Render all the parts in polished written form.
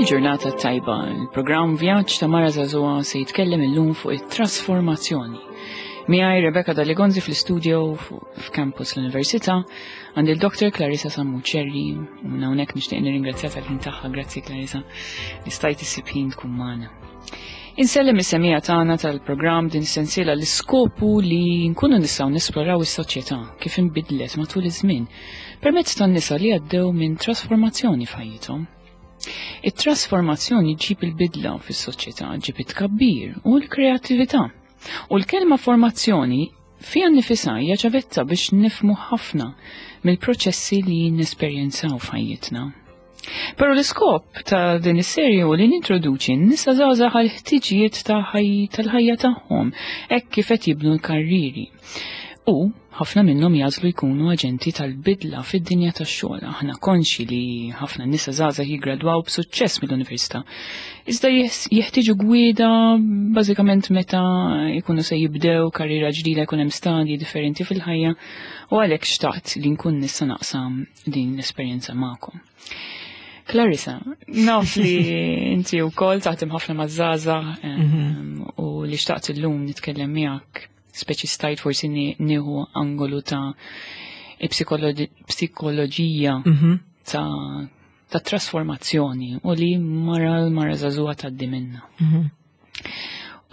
Il-ġurnata tajba, il-programm Vjaġġ ta' Mara Żagħżugħa se jitkellem illum fuq it-trasformazzjoni. Miegħi Rebecca Daligonzi fl-istudio f'campus l-Università għandi l-Dr. Clarissa Sammuċerri u minn hawnhekk nixtieq nirringrazzja tal-ħin tagħha, grazzi Clarissa, li stajt issib ħin tkun magħna. Insellem is-semija tagħna tal-programm din sensiela l-iskopu li nkunu nistgħu nesploraw is-soċjetà kif inbidlet matul iż-żmien permezz tan-nisa li għaddew minn trasformazzjoni f'ħajjithom. It-trasformazzjoni ġib il-bidla fis-soċjetà, ġib it-tkabbir u l-kreattività. U l-kelma formazzjoni fiha nnifisha hija ċavetta biex nifmu ħafna mill-proċessi li nesperjenzaw f'ħajjitna. Però l-iskop ta' din is-serje hu li nintroduċi n-nisa żgħażagħ għal ħtiġijiet ta' tal-ħajja tagħhom hekk kif qed jibnu l-karriri. U ħafna minnhom jagħżlu jkunu aġenti tal-bidla fid-dinja tax-xogħol. Aħna konxi li ħafna nisa żgħażagħ jiggradwaw b'suċċess mill-università. Iżda jeħtieġu gwida bażikament meta jkunu se jibdew karriera ġdida jkun hemm stadji differenti fil-ħajja u għalhekk xtaqt li nkun nista' naqsam din l-esperjenza magħkom. Clarissa, naf li inti wkoll taħdem ħafna maż-żgħażagħ mhm. u li xtaqt illum nitkellem miegħek speċi stajt forsi nieħu angolu ta' psikoloġija mhm. ta' ta' trasformazzjoni u li mara l-mara żagħżugħa tgħaddi minna. Mhm.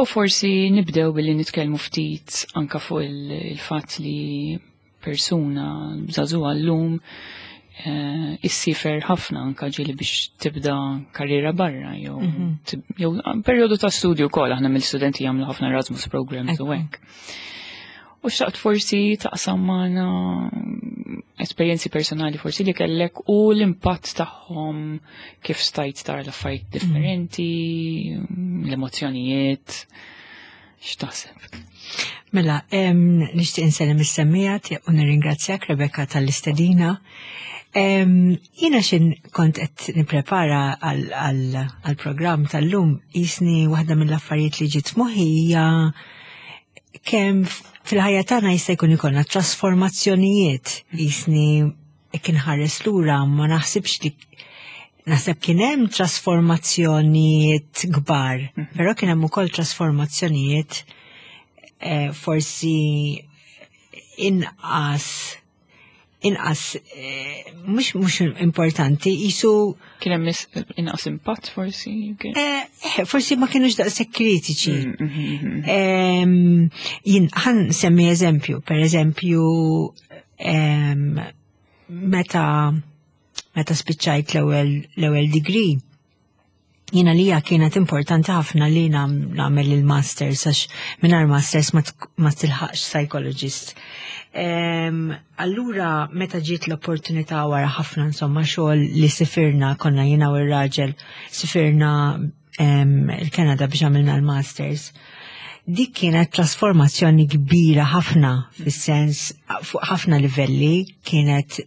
U forsi nibdew billi nitkellmu ftit anka fuq il-fatt li persuna żagħżugħa llum eh, issifer ħafna anka ġieli biex tibda karriera barra jew mhm. jew perjodu ta' studju wkoll aħna mill-studenti jagħmlu ħafna Erasmus programs u hekk. U xtaqt forsi taqsam magħna esperjenzi personali forsi li kellek u l-impatt tagħhom kif stajt tara l-affarijiet mhm. differenti, l-emozzjonijiet. X'taħseb? Mela, nixtieq insellem is-semmija u nirringrazzjak Rebecca tal-istedina. Jiena xin kont qed nipprepara għall-programm tal-lum jisni waħda mill-affarijiet li ġiet f'moħħi hija kemm fil-ħajja tagħna jista' jkun ikollna trasformazzjonijiet jisni jekk inħares lura ma naħsibx li naħseb kien hemm trasformazzjonijiet kbar, mhm. però kien hemm ukoll trasformazzjonijiet eh, forsi inqas inqas eh, mhux mhux importanti jisu kien hemm inqas impatt forsi eh, eh, forsi ma kienux daqshekk kritiċi. Mm, mm, mm, jien ħan semmi eżempju, per eżempju meta meta spiċċajt l-ewwel l-ewwel degree jiena lija kienet importanti ħafna li nagħmel il-masters għax mingħajr masters ma tilħaqx psychologist. Allura meta ġiet l-opportunità wara ħafna insomma xogħol li sifirna konna jiena u r-raġel sifirna il-Kanada biex għamilna l-masters. Dik kienet trasformazzjoni kbira ħafna fis-sens fuq ħafna livelli kienet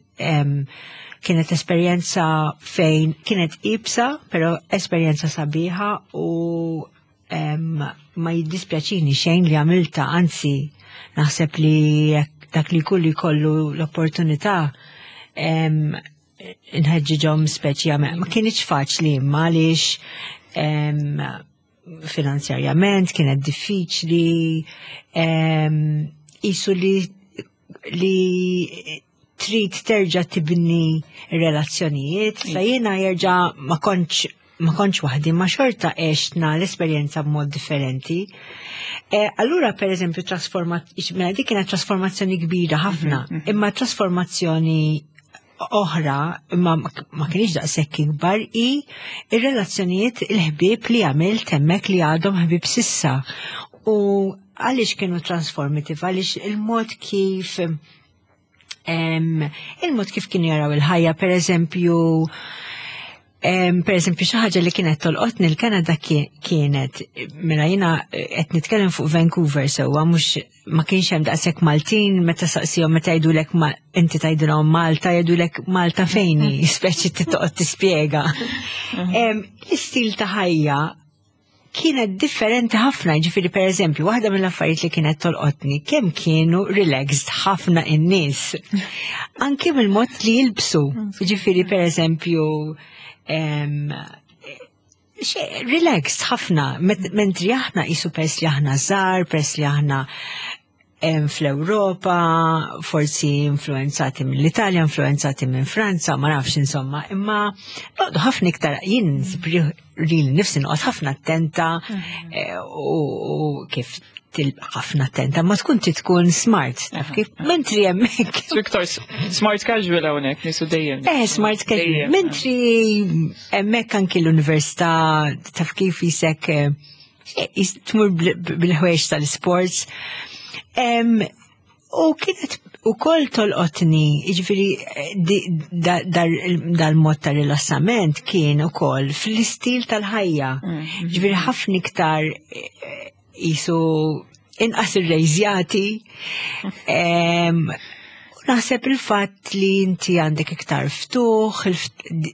kienet esperjenza fejn kienet ibsa, pero esperjenza sabiħa u ma jiddispjaċini xejn li għamilta, anzi naħseb li dak li kulli kollu l-opportunità nħeġġiġhom speċi għamel. Ma kienx faċli imma għaliex finanzjarjament kienet diffiċli isu li li trid terġa' tibni relazzjonijiet, sa jiena jerġa' ma kontx ma kontx waħdi ma xorta għextna l-esperjenza b'mod differenti. E, allura per eżempju mela dik kienet trasformazzjoni kbira ħafna, mhm, mhm. imma trasformazzjoni oħra imma ma kienx daqshekk ikbar i ir-relazzjonijiet il-ħbieb li għamilt hemmhekk li għadhom ħbieb sissa. U għaliex kienu transformative, għaliex il-mod kif il-mod kif kienu jaraw il-ħajja, per eżempju, per eżempju, xi ħaġa li kienet tolqotni l-Kanada kienet, mela jiena eh, qed nitkellem fuq Vancouver sewwa mhux ma kienx hemm daqshekk Maltin meta saqsihom meta jgħidulek inti tgħidilhom Malta jgħidulek Malta fejni, speċi titoqgħod tispjega. L-istil ta' ħajja kienet differenti ħafna, ġifiri per eżempju, waħda mill-affarijiet li kienet tolqotni, kemm kienu relaxed ħafna in-nies. Anki mill-mod li jilbsu, ġifiri per eżempju, Relaxed ħafna, mentri aħna qisu pers li aħna żgħar, pers li aħna fl-Ewropa, forsi influenzati mill-Italja, influenzati minn Franza, ma nafx insomma, imma noqdu ħafna iktar jien li nifsi noqgħod ħafna attenta eh, u kif ħafna attenta, ma tkun ti tkun smart, taf kif? Mentri hemmhekk. Iktar smart casual hawnhekk nisu dejjem. Eh, smart casual. Mentri hemmhekk anki l-università taf kif jisek eh, tmur bil-ħwejx tal-sports. U kienet u koll tolqotni, ġifiri dal-mod ta' rilassament kien u koll fl-istil tal-ħajja. Mm. Ġifiri ħafna iktar eh, jisu inqas irrejżjati. Naħseb il-fatt li inti għandek iktar ftuħ,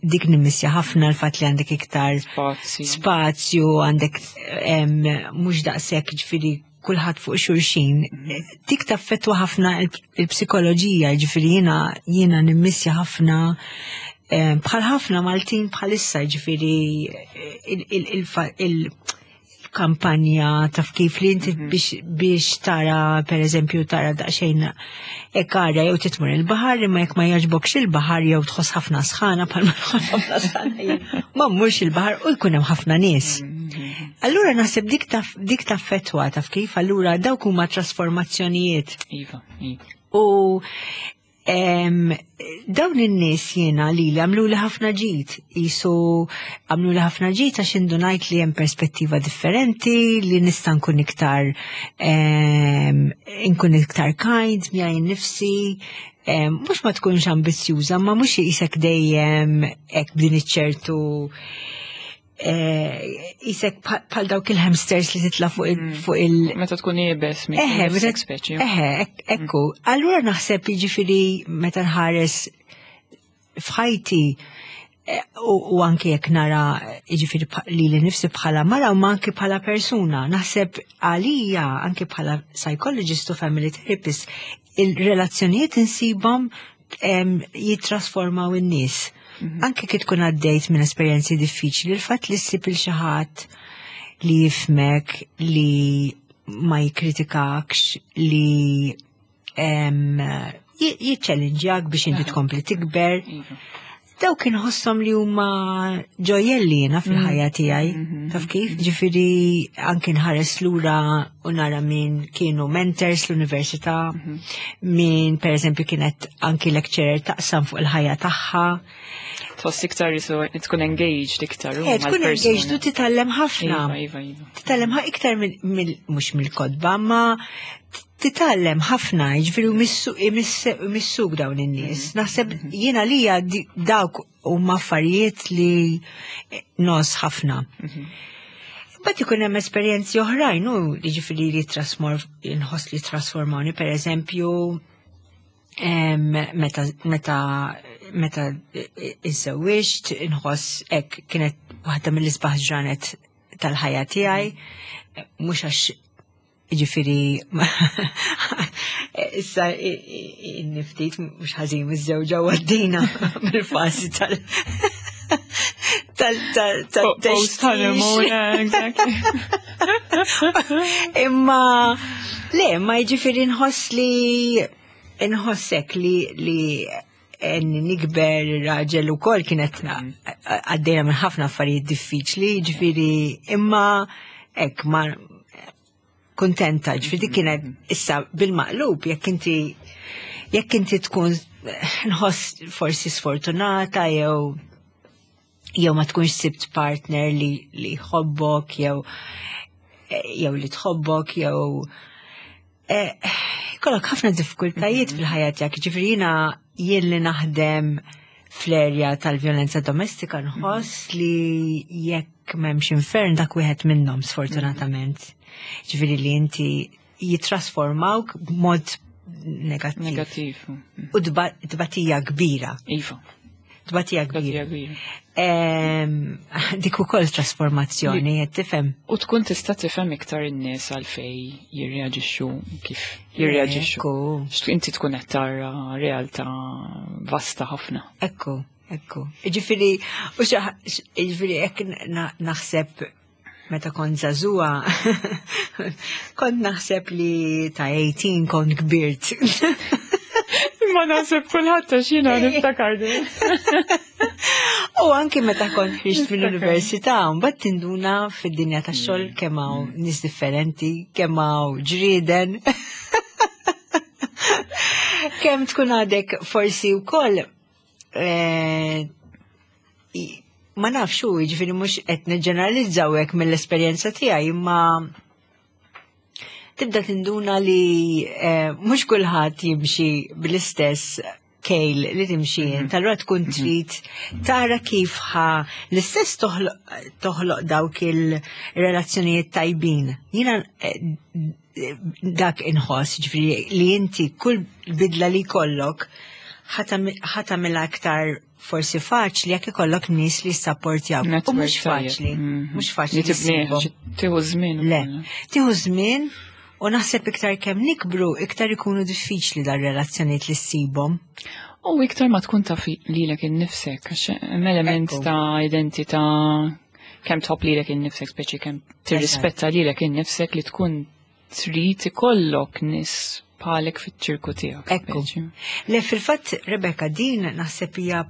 dik nimmissja ħafna l-fatt li għandek iktar spazju, għandek mhux daqshekk ġifieri kulħadd fuq xulxin. Dik taffettwa ħafna il-psikoloġija, ġifieri jiena jiena nimmissja ħafna bħal ħafna Maltin bħalissa ġifieri il kampanja taf kif li inti mhm. biex, biex tara per eżempju tara daqsxejn ekarja jew titmur il-baħar imma jekk ma jogħġbokx il-baħar jew tħoss ħafna sħana bħal ma ħafna sħana ma mmurx il-baħar u jkun hemm ħafna nies. Mhm. Allura naħseb dik taf dik taffettwa taf kif allura dawk huma trasformazzjonijiet. Iva, iva. U Dawn in-nies jiena li li għamlu li ħafna ġid, jisu għamlu li ħafna ġid għax indunajt li hemm perspettiva differenti, li nista' nkun iktar nkun iktar kind miegħi nnifsi, mhux ma tkunx ambizzjuża, ma mhux jisek dejjem hekk b'din iċ-ċertu Isek eh, bħal dawk il-hamsters li titla fuq il- mm. fuq il. Meta tkun iebes minn Eħe, meta speċi. Eħe, ekku. Mm. Allura naħseb jiġifieri meta nħares f'ħajti eh, u anke jekk nara jiġifieri li li nifsi bħala mara u anke bħala persuna, naħseb għalija anke bħala psychologist u family therapist il-relazzjonijiet insibhom jittrasformaw in-nies. Mhm. Anke kif tkun għaddejt minn esperjenzi diffiċli, il-fatt li ssib il xi ħadd li jifmek, li ma jikkritikakx, li jiċċellinġjak biex inti tkompli tikber. Iva. Dawk inħosshom li huma ġojjelli jiena fil-ħajja mm. tiegħi. Mm-hmm. Taf kif? Mm-hmm. Ġifieri anke nħares lura u nara min kienu mentors l-università, mm-hmm. min pereżempju kienet anki lecturer taqsam fuq il-ħajja tagħha. Tħoss iktar jisu tkun engaged iktar. Eh, tkun engaged u titgħallem ħafna. Iva, iva, iva. Titgħallem iktar mhux mill-kodba, ma titgħallem ħafna, jiġifieri imissuk dawn in-nies. Mhm. Naħseb mhm. jiena lija dawk huma affarijiet li nos ħafna. Mhm. Bat ikun hemm esperjenzi oħrajn u jiġifieri li inħoss li trasformawni, pereżempju, meta meta meta iżżewwiġt inħoss hekk kienet waħda mill-isbaħ ġranet tal-ħajja tiegħi, mhux għax Ġifiri, issa niftit mux ħazin miż-żewġa għaddina bil-fasi tal- tal post honeymoon, exactly. Imma, le, ma ġifiri nħoss li nħossek li li nikber raġel u kol kienet għaddejna minn ħafna affarijiet diffiċli, ġifiri, imma ek ma kuntenta, ġifieri dik kienet issa bil-maqlub jekk inti jekk inti tkun nħoss forsi sfortunata jew jew ma tkunx sibt partner li li jħobbok jew jew li tħobbok jew eh, kollok ħafna diffikultajiet mhm. fil-ħajja tiegħek, ġifieri jiena jien li naħdem fl-erja tal-vjolenza domestika nħoss li jekk m'hemmx infern dak wieħed minnhom sfortunatament. Ġifieri li inti jitrasformawk b'mod negattiv. Negattiv. U tbatija kbira. Iva. Tbatija kbira. Dik ukoll trasformazzjoni, qed tifhem. U tkun tista' tifhem iktar in-nies għalfej jirreaġixxu kif jirreaġixxu. Inti tkun qed tara realtà vasta ħafna. Ekku. Ekku. Ġifieri, u ġifieri hekk naħseb meta kont żagħżugħa, kont naħseb li ta' 18 kont kbirt. Ma naħseb kulħadd għax jiena niftakar din. U anki meta kont ħriġt mill-università, mbagħad tinduna fid-dinja tax-xogħol kemm hawn nies differenti, kemm hawn ġrieden. Kemm tkun għadek forsi wkoll ma nafx hu, jiġifieri mhux qed niġġeneralizzaw hekk mill-esperjenza tiegħi, imma tibda tinduna li mhux kulħadd jimxi bl-istess kejl li timxi int. Allura tkun trid tara kif ħa l-istess toħloq dawk il-relazzjonijiet tajbin. Jiena dak inħoss, ġifieri li inti kull bidla li jkollok ħa tagħmilha aktar forsi faċli jekk ikollok nies li jissapportjaw. U mhux faċli, mhux faċli. Li tibni, tieħu żmien. Le, tieħu żmien u naħseb iktar kemm nikbru, iktar ikunu diffiċli dar-relazzjonijiet li ssibhom. U iktar ma tkun taf lilek innifsek, għax hemm element ta' identità kemm tħobb lilek innifsek, speċi kemm tirrispetta lilek innifsek li tkun trid ikollok nies bħalek fiċ-ċirku tiegħek. Ekku. Le fil-fatt, Rebecca, din naħseb hija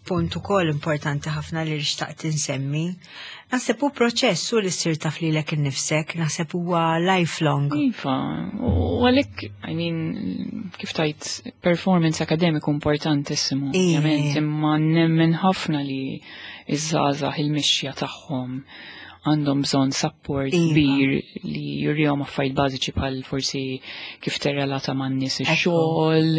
punt ukoll importanti ħafna li xtaqt insemmi. Naħseb hu proċess u li ssir taf lilek innifsek, naħseb huwa lifelong. Iva, u għalhekk, I mean, kif tajt, performance akademiku importantissimu, ovvjament, imma nemmen ħafna li iż-żgħażagħ il-mixja tagħhom għandhom bżonn support kbir li jurihom affarijiet bażiċi bħal forsi kif terrelata man-nies ix-xogħol,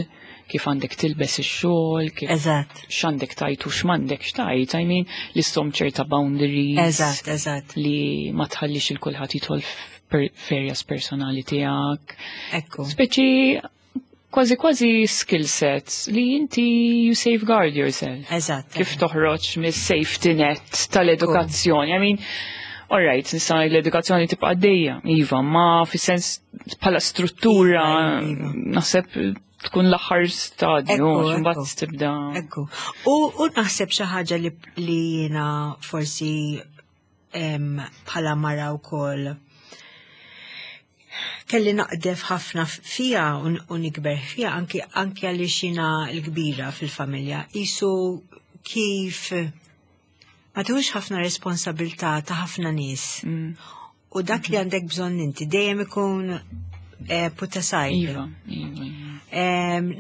kif għandek tilbes ix-xogħol, kif x'għandek tajt u x'm'għandek x'tajt, I mean, li ssom ċerta boundaries. Eżatt, eżatt. Li ma tħallix il kulħadd jidħol f'areas personali tiegħek. Speċi kważi kważi skill sets li inti you safeguard yourself. Kif toħroġ mis-safety net tal-edukazzjoni. I mean, all right, nista' l-edukazzjoni tibqa' għaddejja, iva, ma fis-sens bħala struttura naħseb tkun l-aħħar stadju, mbagħad tibda. Ekku. U naħseb xi ħaġa li jiena forsi bħala mara wkoll kelli naqdef ħafna fija u nikber fija anki għaliex jiena l-kbira fil-familja. Isu kif ma tuħux ħafna responsabilità ta' ħafna nies. U dak li għandek bżonn inti dejjem ikun put aside. Iva, iva, iva.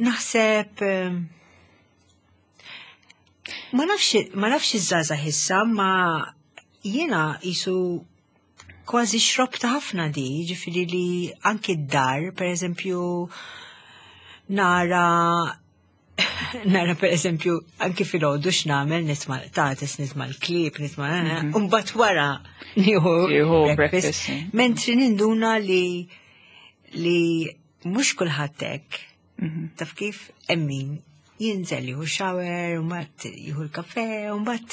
Naħseb ma nafx iż-żgħażagħ issa, ma jiena isu kważi xrobta ħafna di, ġifieri li anki d-dar, per eżempju, nara per eżempju, anki filgħodu x'nagħmel, nitma' l-qtates, nitma' l-klieb, nitma' u mbagħad wara nieħu Jieħu breakfast. breakfast, sì. Mentri ninduna li mhux kulħadd hekk. Taf kif hemm min jinżel jieħu shower, u mbagħad jieħu l-kafe, u mbagħad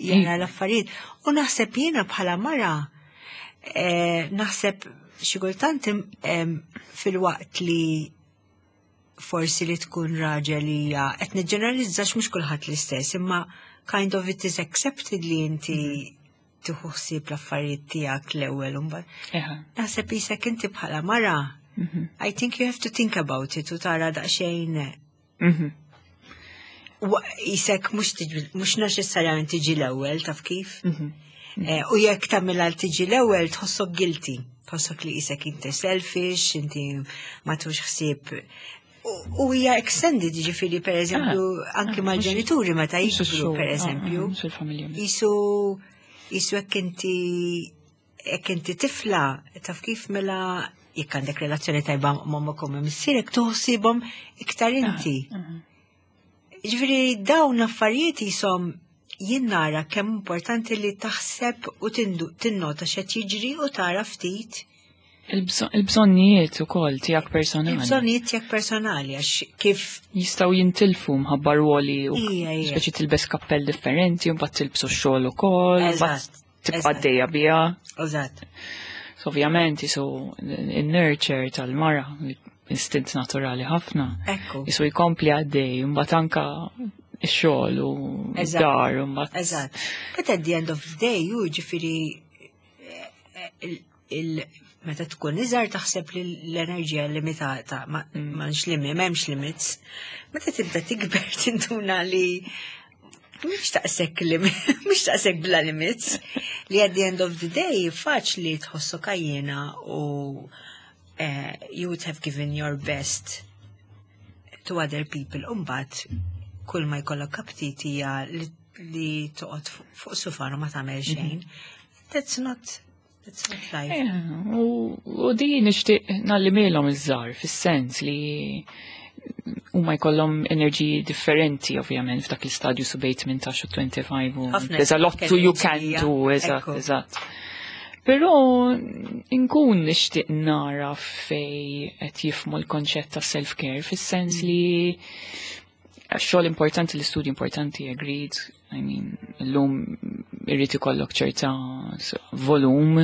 jara l-affarijiet. U naħseb jiena bħala mara, naħseb xi kultant fil-waqt li forsi li tkun raġel hija qed niġġeneralizzax mhux kulħadd l-istess, imma kind of it is accepted li inti tieħu ħsieb l-affarijiet tiegħek l-ewwel u mbagħad. Naħseb isek inti bħala mara, I think you have to think about it u tara daqsxejn. Isek mhux neċessarjament tiġi l-ewwel, taf kif? U jekk tagħmilha tiġi l-ewwel tħossok guilty, tħossok li isek inti selfish, inti ma tux ħsieb. U hija extended, ġifieri per eżempju, anki mal-ġenituri meta Mhux jikbru, ix-xogħol, per eżempju. mhux il-familja. Isu jekk inti tifla, taf kif mela jekk għandek relazzjoni tajba ma' u missierek tuħsibhom iktar inti. Ġifieri dawn l-affarijiet jisom jien nara kemm importanti li taħseb u tinnota x'qed jiġri u tara ftit. Il-bżonnijiet ukoll tiegħek personali. Il-bżonnijiet tiegħek personali għax kif jistgħu jintilfu mħabba ruoli u Ija, ija. speċi tilbes kappell differenti u mbagħad tilbsu x-xogħol ukoll, mbagħad tibqa' għaddejja biha. So, ovvjament jisu in-nurture tal-mara, istint naturali ħafna. Jisu jkompli għaddej, mbagħad anka Ix-xogħol u dar u mbagħad. Eżatt. But at the end of the day, ju ġifieri eh, meta tkun iżgħar taħseb li l-enerġija limitata, ma mm. limit, m'hemmx limits. Meta tibda tikber tinduna li mhux taqsek limit, mhux taqsek bla limits, li at the end of the day faċli tħossok għajjena u you would have given your best to other people. Umbat, kull ma jkollok aptit hija li, li toqgħod fuq sufan u ma tagħmel mhm. xejn. That's not That's not life. Eh, u di nixtieq nallimilhom iż-żgħar fis-sens li huma jkollhom enerġiji differenti ovvjament f'dak l-istadju su bejn 18 u 25 u there's a lot to you can do, eżatt, eżatt. Però nkun nixtieq nara fej qed jifmu l-konċett ta' self-care fis-sens mm. li xogħol importanti, l-istudju importanti, agreed, I mean, l-lum irrid ikollok ċerta volum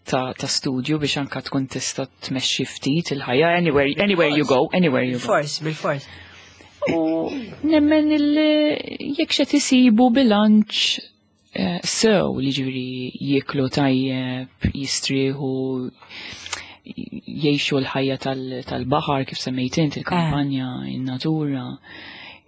ta', ta studju biex anka tkun tista' tmexxi ftit il-ħajja anywhere, anywhere you go, anywhere you go. Fors, bil-fors. U nemmen il jekk xed isibu bilanċ eh, sew li ġifieri jieklu tajjeb, jistrieħu, jgħixu l-ħajja tal-baħar kif semmejt int il-kampanja, in-natura.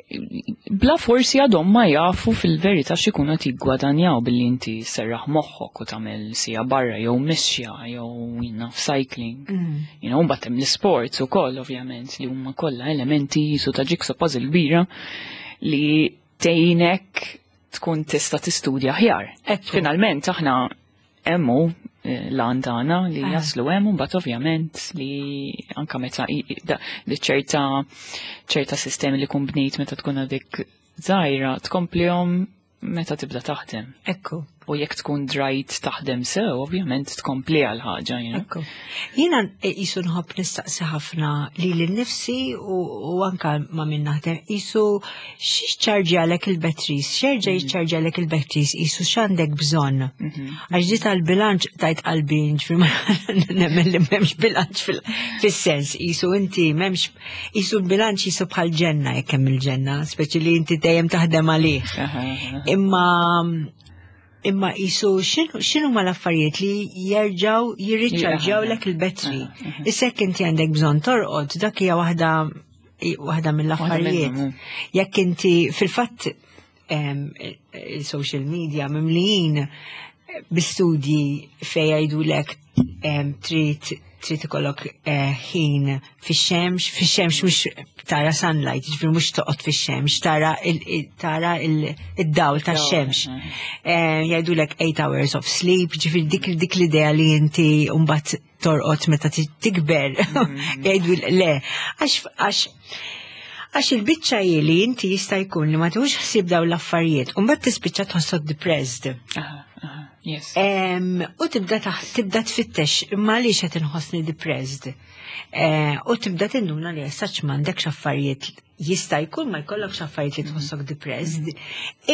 Bla forsi għadhom ma jafu fil-verità x'ikunu qed jiggwadanjaw billi inti serraħ moħħok u tagħmel sija barra jew mixja jew jiena cycling. Mm. You know, mbagħad hemm l-isports ukoll ovvjament li huma kollha elementi jisu ta' jigsaw puzzle kbira li tgħinek tkun tista' tistudja aħjar. Finalment aħna hemmu l-għan tagħna li ah. jaslu hemm mbagħad ovvjament li anka meta li ċerta ċerta sistemi li kun bnejt meta tkun għadik żgħira tkomplihom meta tibda taħdem. Ekku. U jekk tkun drajt taħdem sew, ovvjament tkompli għal ħaġa. Ekku. Jiena jisu nħobb nistaqsi ħafna li l-nifsi u anka ma minn naħdem jisu x'ċarġjalek il-batteries, x'jerġa' mm. jiċċarġjalek il-batteries jisu x'għandek bżonn. Mhm. Għax di tal-bilanċ tajt qalbi ġifieri nemmen li m'hemmx bilanċ fis-sens jisu inti m'hemmx jisu l-bilanċ jisu bħal ġenna jekk hemm il-ġenna, speċi li inti dejjem taħdem għalih. Imma imma jisu xinu ma l-affarijiet li jerġaw jirriċċarġjaw lek il-battery. Issa jekk inti għandek bżonn torqod, dak hija waħda waħda mill-affarijiet. Jekk inti fil-fatt il-social media mimlijin bi-studji fej jgħidulek trid trid ikollok eh, ħin fix-xemx, fix-xemx mhux tara sunlight, ġifieri mhux toqgħod fix-xemx, tara tara id-dawl tax-xemx. Eh, jgħidulek 8 hours of sleep, ġifieri dik dik l-idea li inti mbagħad torqod meta tikber. Mm. Jgħidu le, għax għax għax il-biċċa li inti jista' jkun li ma tieħux ħsieb dawn l-affarijiet, u mbagħad tispiċċa tħossok depressed. Yes. U tibda tibda tfittex imma għaliex qed inħossni depressed. Eh, u tibda tinduna li essaċ m'għandekx affarijiet jista' jkun ma jkollokx affarijiet li tħossok depressed.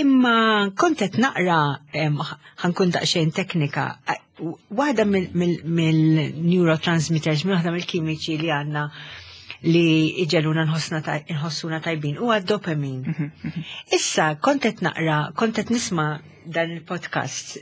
Imma kont qed naqra ħankun daqsxejn teknika. Waħda mill-neurotransmitters, waħda mill-kimiċi li għandna li iġeluna nħossuna tajbin huwa d-dopamin. Mhm, mhm. Issa kont qed naqra, kont qed nisma' dan il-podcast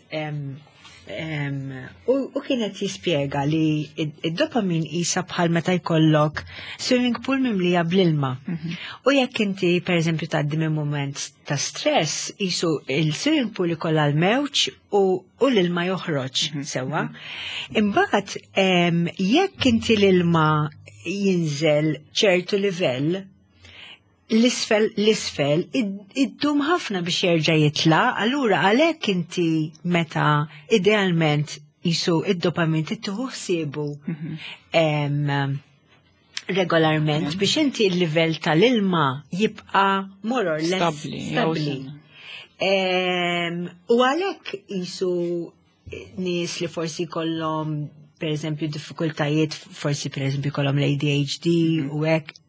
u kienet jispjega li id-dopamin isa bħal meta jkollok swimming pool mimlija bl-ilma. Mhm. U jekk inti per eżempju tgħaddi minn moment ta' stress, isu il-swimming pool ikollha l-mewġ u l-ilma joħroġ mhm. sewwa. Mhm. Imbagħad jekk inti l-ilma jinżel ċertu livell, l-isfel l-isfel iddum ħafna biex jerġa' jitla, allura għalhekk inti meta idealment jisu id-dopamin tittieħu ħsiebu mhm. regolarment mhm. biex inti l-livell tal-ilma jibqa' more or less stabli. U għalhekk jisu nies li forsi kollhom per eżempju diffikultajiet, forsi per eżempju kollhom l-ADHD mhm. u hekk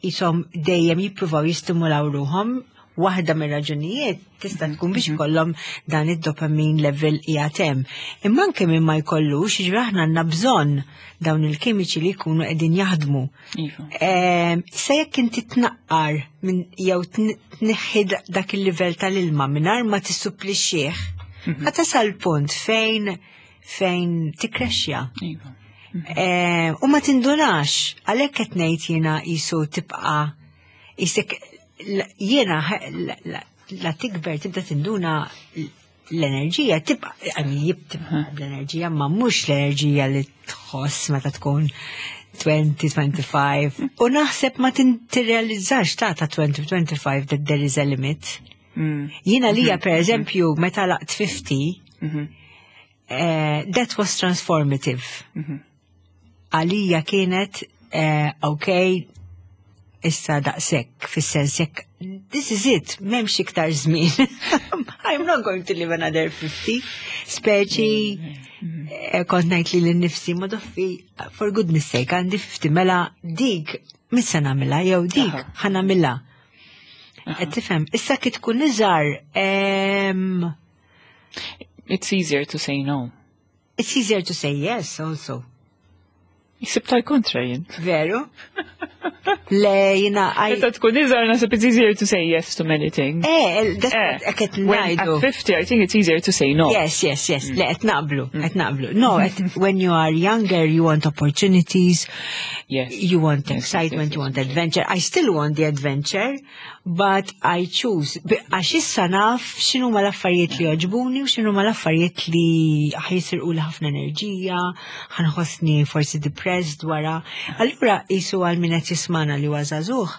jisom eh, dejjem jippruvaw jistimulaw ruhom Waħda mir-raġunijiet tista' tkun biex ikollhom dan id-dopamine level qiegħed hemm. Imma anke min ma jkollux, jiġifieri aħna għandna bżonn dawn il-kimiċi li jkunu qegħdin jaħdmu. Issa jekk inti tnaqqar minn jew tneħħi dak il-livell tal-ilma mingħajr ma tissupplixxih, ħa tasal punt fejn tikkrexxja. U ma tindunax, għalhekk qed ngħid jiena qisu tibqa' isek jiena la tikber tibda tinduna l-enerġija tibqa' I mean, tibqa' l-enerġija ma mhux l-enerġija li tħoss meta tkun 20, 25. U naħseb ma tirrealizzax ta' 20, 25 that there is a limit. Jiena lija per eżempju meta lħaqt 50, that was transformative. Għalija kienet, ok, issa daqshekk, fis-sens jekk, this is it, m'hemmx iktar żmien. I'm not going to live another 50. Speċi, kont ngħid li lili nnifsi, ma doffi, for goodness sake, għandi 50, mela dik, mhux se nagħmilha, jew dik, ħa nagħmilha. Qed tifhem, issa kif tkun iżgħar, It's easier to say no. It's easier to say yes also. Jisib tal-kontra jien. Veru? Le, jiena, I... Meta tkun iżgħar naħseb it's easier to say yes to many things. That's what qed When at ngħidu. 50, I think it's easier to say no. Yes. Le, qed naqblu, qed naqblu. No, when you are younger, you want opportunities, you want excitement, you want adventure. I still want the adventure, but I choose. Għax issa naf x'inhuma l-affarijiet li jogħġbuni u x'inhuma l-affarijiet li ħa jisirqu li ħafna enerġija, ħa nħossni forsi depressed wara. Allura qisu għal min qed jismagħna li huwa żagħżugh.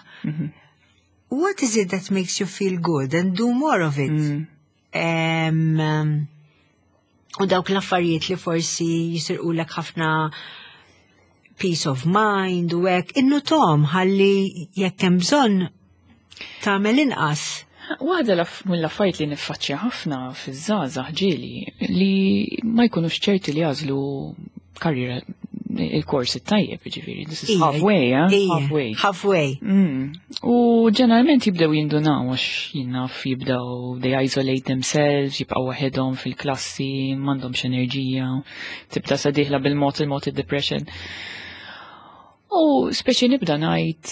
What is it that makes you feel good and do more of it? U dawk l-affarijiet li forsi jisirqulek ħafna peace of mind u hekk, innutahom ħalli jekk hemm bżonn tagħmel inqas. Waħda mill-affarijiet li niffaċċja ħafna fiż-żgħażagħ ġieli li ma jkunux ċerti li jagħżlu karriera il-kors it-tajjeb, ġifieri, this is halfway, eh? Halfway. Halfway. U ġeneralment jibdew jindunaw għax jinnaf jibdew they isolate themselves, jibqgħu waħedhom fil-klassi, m'għandhomx enerġija, tibda sa dieħla bil-mod il-mod id-depression. U speċi nibda ngħid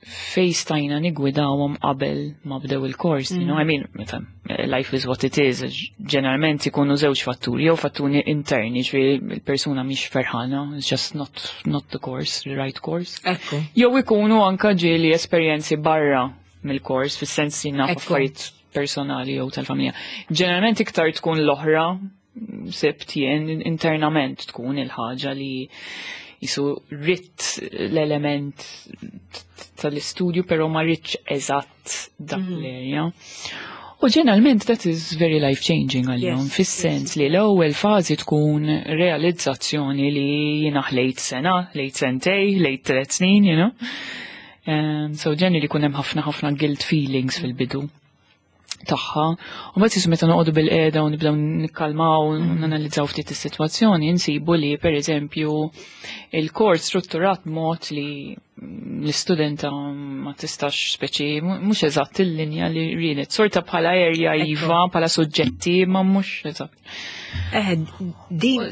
fej stajna nigwidawhom qabel ma bdew il-kors, you know, I mean, meta life is what it is, ġeneralment ikunu żewġ fatturi, jew fatturi interni, ġifieri il-persuna mhix ferħana, it's just not the course, the right course. Jew ikunu anka ġieli esperjenzi barra mill-kors, fis-sens li naf affarijiet personali jew tal-familja. Ġeneralment iktar tkun l-oħra, sibt jien internament tkun il-ħaġa li jisu ritt l-element tal-istudju, pero ma rridx eżatt dak l-area. U ġeneralment that is very life-changing għalihom, fis-sens li l-ewwel fażi tkun realizzazzjoni li jiena ħlejt sena, ħlejt sentej, ħlejt 3 snin, you know. So ġenni li kun hemm ħafna ħafna guilt feelings fil-bidu tagħha. U mbagħad jisu meta noqogħdu bil-qiegħda u nibdew nikkalmaw u nanalizzaw ftit is-sitwazzjoni, insibu li pereżempju il-kors strutturat mod li l-istudenta ma tistax speċi mhux eżatt il-linja li riedet. Sorta bħala area iva, bħala suġġetti, ma mhux eżatt. Din,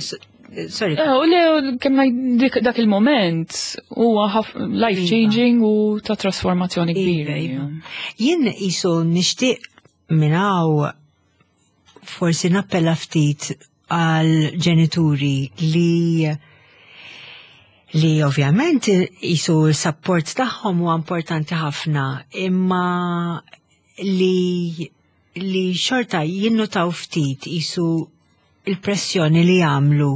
sorry. U le, kemm ngħid dak il-moment huwa life changing u ta' trasformazzjoni kbira. Jien qisu nixtieq minn hawn forsi nappella ftit għal ġenituri li ovvjament qisu l-support tagħhom huwa importanti ħafna, imma li xorta jinnutaw ftit qisu il-pressjoni li jagħmlu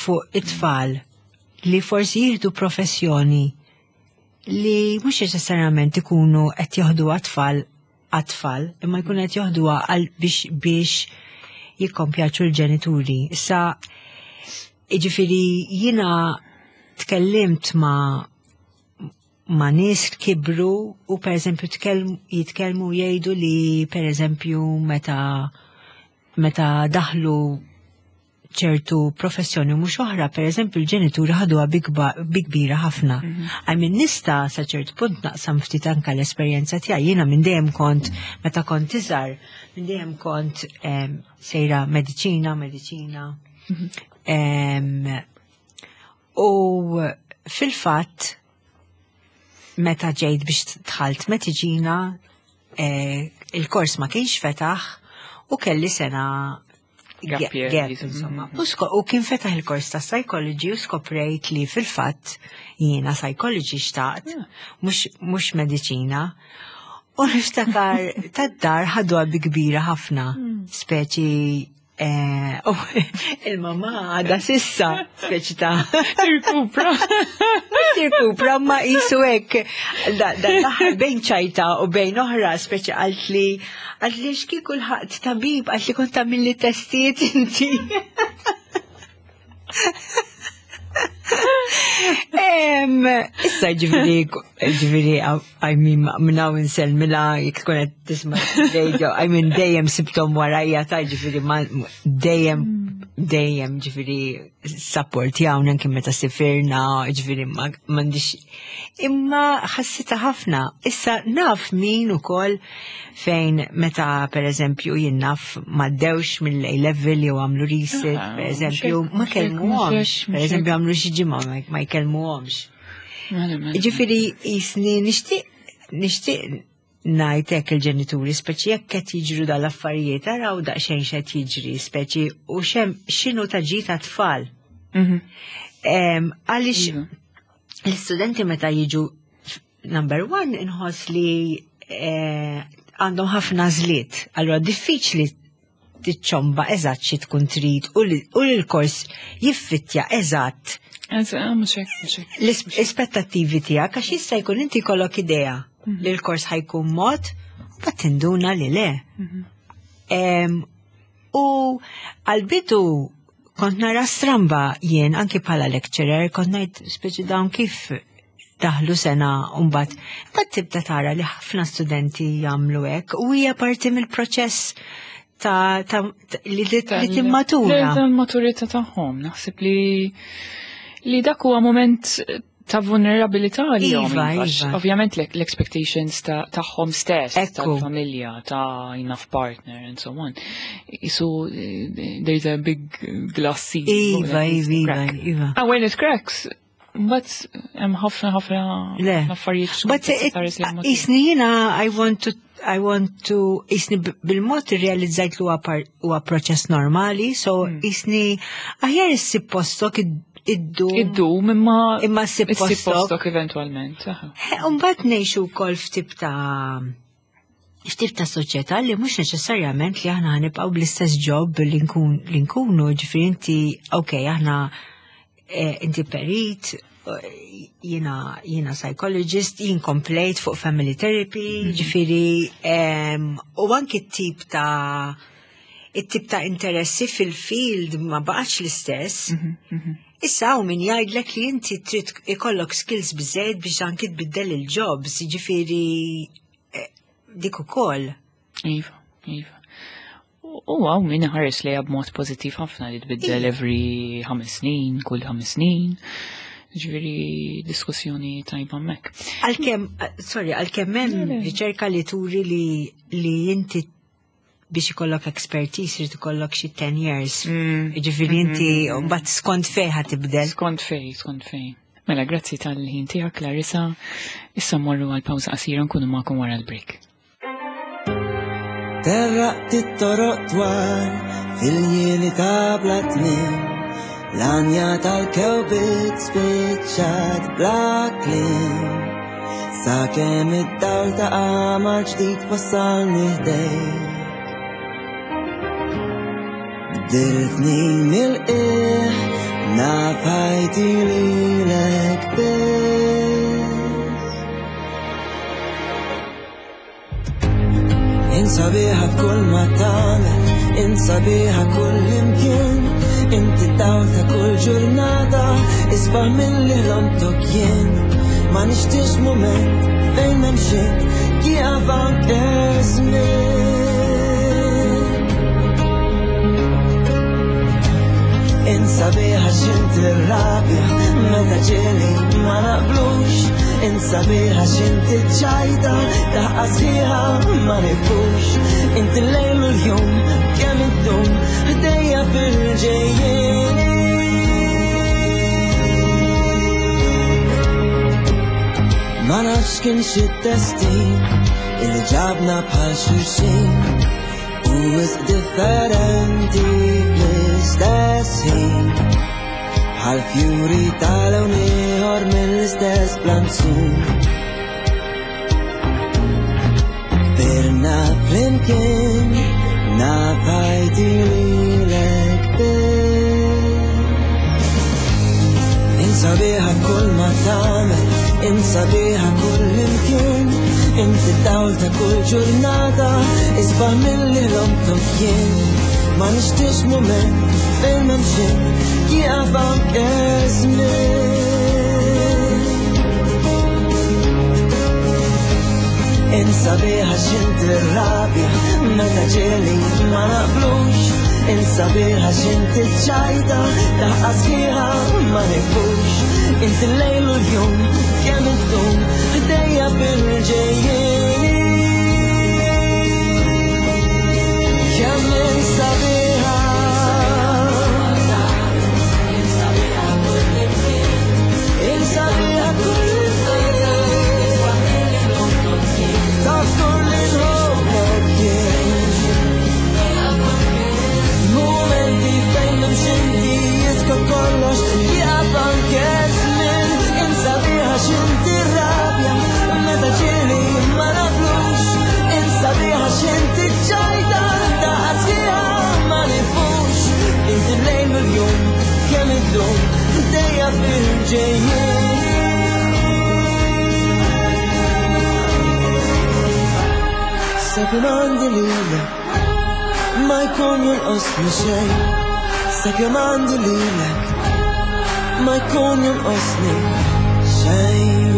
fuq it-tfal li forsi jieħdu professjoni li mhux neċessarjament ikunu qed joħdu għat-tfal għat-tfal, imma jkunu qed joħduha għal biex jikkompjaċu l-ġenituri. Issa, jiġifieri jiena tkellimt ma' nies kibru u per eżempju jitkellmu jgħidu li per eżempju meta daħlu ċertu professjoni mhux oħra, per eżempju l-ġenituri ħaduha bi kbira ħafna. I mean nista' sa ċertu punt naqsam ftit anka l-esperjenza tiegħi. Jiena minn dejjem kont meta kont iżgħar, minn dejjem kont sejra mediċina, mediċina. U fil-fatt meta ġejt biex dħalt mediċina, il-kors ma kienx fetaħ u kelli sena Gap year, gap, jisu. insomma. U kien fetaħ il-kors ta' psychology u skoprejt li fil-fatt jiena psychology xtaqt, mhux mediċina. U niftakar tad-dar ħaduha bi kbira ħafna, speċi u il-mama għadha s'issa, speċi ta' Tirkupra. Tirkupra, ma jisu hekk da l-aħħar bejn ċajta u bejn oħra, speċi qaltli x'kieku lħaqt tabib, qaltli kont tagħmilli testijiet inti. Issa ġifieri, I mean, minn hawn insellmilha, jekk tkun qed tisma' radio, I mean, dejjem sibthom warajja ta' ġifieri, ma, dejjem, dejjem, ġifieri, support jawna anke meta sifirna, ġifieri, ma, m'għandix, imma ħassita ħafna. Issa naf min ukoll fejn meta, per eżempju, jien naf m'għaddewx mill-A level jew għamlu resit, per eżempju, ma kellmuhomx, per eżempju, għamlu xi ġimgħa ma jkellmuhomx. Mela. Ġifieri, jisni nixtieq ngħid hekk il-ġenituri, speċi jekk qed jiġru dal-affarijiet, araw daqsxejn x'qed jiġri, speċi u x'inhu ta' ġid ta' tfal. Għaliex l-istudenti meta jiġu number one inħoss li għandhom ħafna żliet, allura diffiċli tiċċomba eżatt xi tkun trid u li l-kors jiffittja eżatt. Eżatt, mhux hekk, mhux hekk. L-ispettattivi tiegħek, għax jista' jkun inti jkollok idea li l-kors ħajkun mod, u mbagħad tinduna li le. U għal-bidu kont nara stramba jien anki bħala lecturer, kont ngħid speċi dawn kif daħlu sena u mbagħad tibda tara li ħafna studenti jagħmlu hekk u hija parti mill-proċess ta' li timmatura. Tal-maturità tagħhom, naħseb li dak huwa moment ta' vulnerabilità li jom, għax ovvjament l-expectations tagħhom stess, tal-familja, ta' enough partner and so on. So there's a big glass ceiling. When it crack. When it cracks, but hemm ħafna, ħafna Le. affarijiet But x'kont tista' tara li jisni jiena, I want to, jisni bil-mod irrealizzajt li huwa proċess normali, so jisni aħjar issib postok iddu. Iddum, imma Imma ssib issib postok. postok eventualment. Aha. Mbagħad ngħixu wkoll f'tip ta' soċjetà li mhux neċessarjament li aħna ħanibqgħu bl-istess job li nkunu, ġifieri inti, ok, aħna inti perit, jiena psychologist, jien komplejt fuq family therapy, ġifieri, u anki it-tip ta' interessi fil-field ma baqax l-istess. Issa hawn min jgħidlek li inti trid ikollok skills biżejjed biex anki tbiddel il-jobs, ġifieri dik ukoll. Iva, iva. U hawn min ħares li b'mod pożittiv ħafna li tbiddel every 5 snin, kull 5 snin. Ġifieri diskussjoni tajba hemmhekk. Għalkemm, sorry, għalkemm hemm Le, le. riċerka li turi li inti biex ikollok expertise irid ikollok xi 10 years. Ġifieri inti mbagħad skont fejn ħa tibdel. Skont fej, skont fej. Mela, grazzi tal-ħin tiegħek, Clarissa. Issa mmorru għal pawża qasira, nkunu magħkom wara l-break. Terraqt it-toroq twal fil-ljieli ta' bla tmiem, l-għanja tal-kewbiet spiċċat bla kliem. Sakemm id-dawl ta' qamar ġdid wassalni ħdejk. Bdiltni mill-qiegħ, naf ħajti lilek biss. Int sabiħa f'kull ma tagħmel, int sabiħa kull imkien, inti dawl ta' kull ġurnata, isbaħ milli ħlomtok jien. Ma nixtiex mument fejn m'hemmx int, jieqaf anke żmien. Insabiħa x'inti rabja meta ġieli ma naqblux. Insabiħa x'inti ċajta daħqa sħiħa ma nifux. Inti l-lejl u l-jum kemm iddum ħdejja fil-ġejjieni. Ma nafx kien xi destin illi ġabna bħal xulxin u wisq differenti fl-istess ħin. Bħal fjuri tal-lewn ieħor mill-istess planzun. Kbirna flimkien naf ħajti lilek biss. Insabiħa kull ma tagħmel, insabiħa kull imkien, inti d-dawl ta' kull ġurnata, isbaħ milli ħlomtok jien. Ma nixtiex mument fejn m'hemmx int, jieqaf anke żmien. Insabiħa x'inti rabja meta ġieli ma naqblux. Insabiħa x'inti ċajta daħqa sħiħa ma nifux. Inti l-lejl u l-jum kemm iddum ħdejja fil-ġejjieni. Kemm insabiħa. Insabiħa kull Taf kull inħobbok jien. Momenti fejn m'hemmx inti jiskot kollox, jieqaf anke żmien. Insabiħa x'inti rabja meta ġieli ma naqblux. Insabiħa x'inti ċajta daħqa sħiħa ma nifux. Inti l-lejl u l-jum kemm iddum ħdejja fil-ġejjieni. Sakemm għandi lilek ma jkun jonqosni xejn. Sakemm għandi lilek ma jkun jonqosni xejn.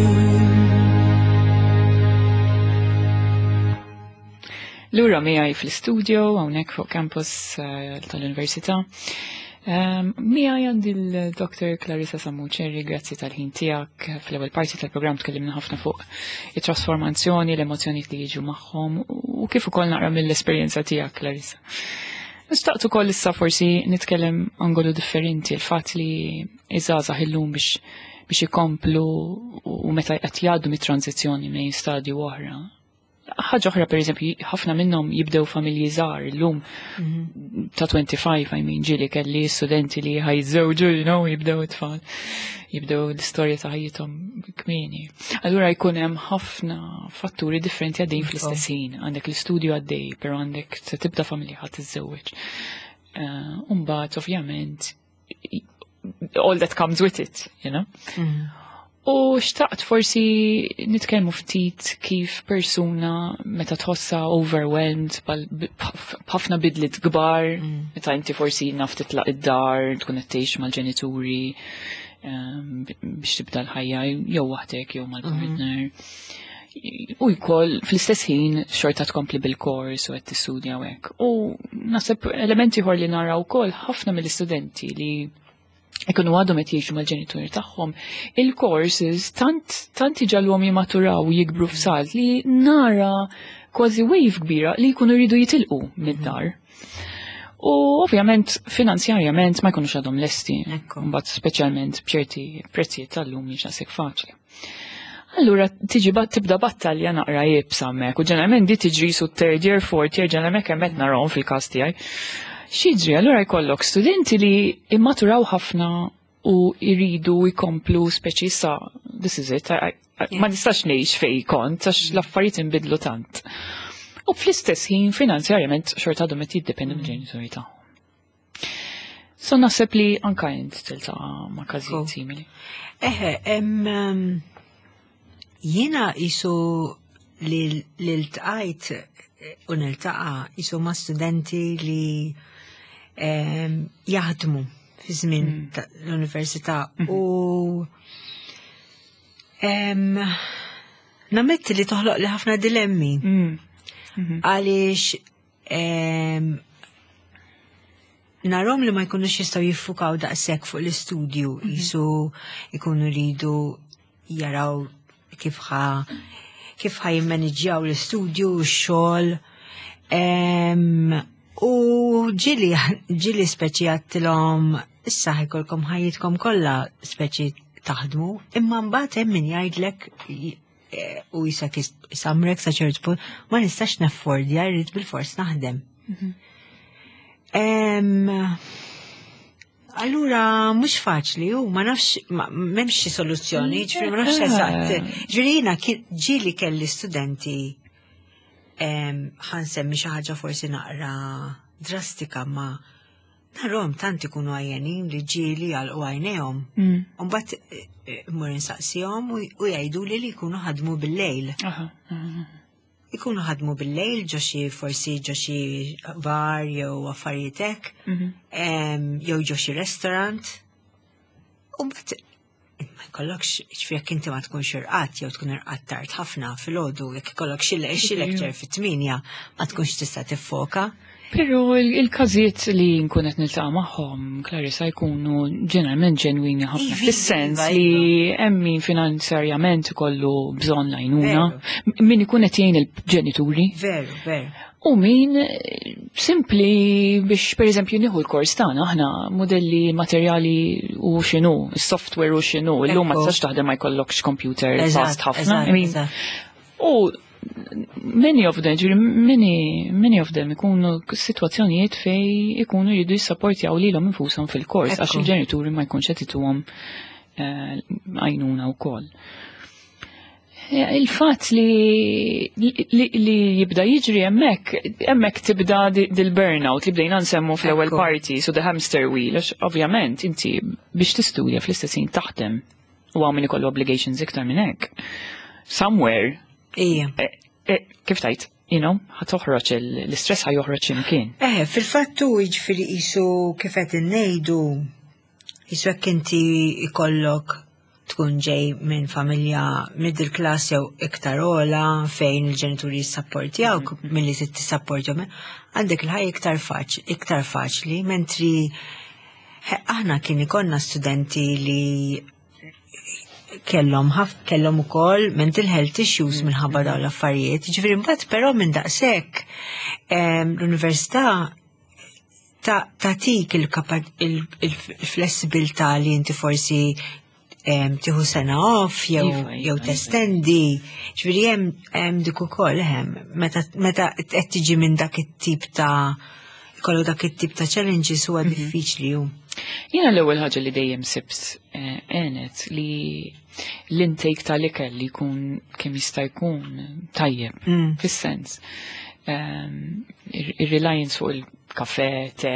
Lura miegħi fl-istudio hawnhekk fuq campus tal-Università. Miegħi għandi l-Dr. Clarissa Sammuċerri, grazzi tal-ħin tiegħek. Fl-ewwel parti tal-programm tkellimna ħafna fuq it-trasformazzjoni, l-emozzjonijiet li jiġu magħhom u kif ukoll naqra mill-esperjenza tiegħek, Clarissa. Nistaqt ukoll issa forsi nitkellem angolu differenti, il-fatt li iż-żgħażagħ illum biex ikomplu u meta qed jgħaddu mit-tranzizzjoni minn stadju oħra. Ħaġa oħra, per eżempju, ħafna minnhom jibdew familji żgħar illum ta' 25, I mean, ġieli kelli studenti li ħajżewġu, jibdew it-tfal, jibdew l-istorja ta' ħajjithom kmieni. Allura jkun hemm ħafna fatturi differenti għaddejjin fl-istess ħin. Għandek l-istudju għaddej, però għandek se tibda familja ħadd tiżżewweġ. Mbagħad, ovvjament, all that comes with it, you know? U xtaqt forsi nitkellmu ftit kif persuna meta tħossha overwhelmed b'ħafna bidliet kbar, meta inti forsi naf titlaq id-dar, tkun qed tgħix mal-ġenituri, biex tibda l-ħajja jew waħdek jew mal-partner. U jkoll fl-istess ħin xorta tkompli bil-kors u qed tistudja u hekk. U naħseb elementi ieħor li naraw ukoll ħafna mill-istudenti li ikunu għadhom qed jgħixu mal-ġenituri tagħhom, il-courses tant iġagħluhom jimmaturaw u jikbru f'salt li nara kważi wave kbira li jkunu jridu jitilqu mid-dar. U ovvjament finanzjarjament ma jkunux għadhom lesti. Mbagħad speċjalment b'ċerti prezzijiet tal-lum mhix daqshekk faċli. Allura tiġi tibda battalja naqra iebsa hemmhekk u ġeneralment di tiġri su third year, fourth year, ġeneralment hemm qed narahom fil-każ tiegħi. X'jiġri? Allura jkollok studenti li immaturaw ħafna u jridu jkomplu speċi sa this is it, ma nistax ngħix fej kont għax l-affarijiet inbidlu tant. U fl-istess ħin finanzjarjament xorta għadhom qed jiddependu mill-ġenituri tagħhom. So naħseb li anka int tiltaqa' ma' każijiet simili. Eħe, jiena isu li ltqajt u niltaqa' isu ma' studenti li jaħdmu fi żmien l-università u nammetti li toħloq li ħafna dilemmi. Għaliex Narahom li ma jkunux jistgħu jiffukaw daqshekk fuq l-istudju, jisu ikunu ridu jaraw kif ħa jimmaniġġjaw l-istudju, x-xogħol. U ġieli speċi għedtilhom, issa ħa jkollkom ħajjitkom kollha speċi taħdmu, imma mbagħad hemm min jgħidlek u jisak isamrek sa ċertu punt, ma nistax naffordja, rrid bil-fors naħdem. Allura, mhux faċli, u ma nafx, m'hemmx xi soluzzjoni, ġifieri ma nafx eżatt. Ġifieri jiena ġieli kelli studenti, ħa nsemmi xi ħaġa forsi naqra drastika, ma narahom tant ikunu għajjenin li ġieli għalqu għajnejhom. Mbagħad mmur insaqsihom u jgħidu li jkunu ħadmu bil-lejl. Aha, aha. Ikunu ħadmu bil-lejl ġo xi forsi ġo xi bar jew affarijiet hekk, jew ġo xi restaurant. U mbagħad ma jkollokx, ġifieri jekk inti ma tkunx irqadt jew tkun irqadt tard ħafna filgħodu, jekk ikollok xi lecture fit-8, ma tkunx tista' tiffoka. Pero il-każijiet li nkun qed niltaqa' magħhom, Clarissa, jkunu ġeneralment ġenwini ħafna. Fis-sens li hemm min finanzjarjament ikollu bżonn l-għajnuna, min ikun qed jgħin il-ġenituri. Veru, veru. U min simpli biex, per eżempju, nieħu l-kors tagħna aħna, modelli materjali u x'inhu, is-software u x'inhu, illum ma tistax taħdem ma jkollokx computer fast ħafna. I mean, u many of them, ġifieri many, many of them ikunu situazzjonijiet fej ikunu jridu jissapportjaw lilhom infushom fil-kors għax il-ġenituri ma jkunx qed ituhom għajnuna wkoll. Il-fatt li jibda jiġri hemmhekk, hemmhekk tibda dil-burnout li bdejna nsemmu fl-ewwel parti, so the hamster wheel, għax ovvjament inti biex tistudja fl-istess ħin taħdem u hawn min ikollu obligations iktar minn hekk. Somewhere, kif tajt, ħa toħroġ l-istress, ħa joħroġ imkien. Fil-fattu jiġifieri qisu kif qed innejdu, qisu jekk inti ikollok tkun ġej minn familja middle class jew iktar ola fejn il-ġenituri jissapportjawk milli trid tissapportjahom, għandek il-ħajja iktar faċli, mentri aħna kien ikollna studenti li kellhom ukoll mental health issues minħabba dawn l-affarijiet. Ġifieri mbagħad però minn daqshekk l-università tatik il-flessibilità li inti forsi tieħu sena off jew jew testendi. Ġifieri hemm dik ukoll hemm meta qed tiġi minn dak it-tip ta' kollu dak it-tip ta' challenges huwa diffiċli hu. Jiena l-ewwel ħaġa li dejjem sibt għenet li l-intake tal-ikel li jkun kemm jista' jkun tajjeb, fis-sens. Ir-reliance fuq il-kafe, te,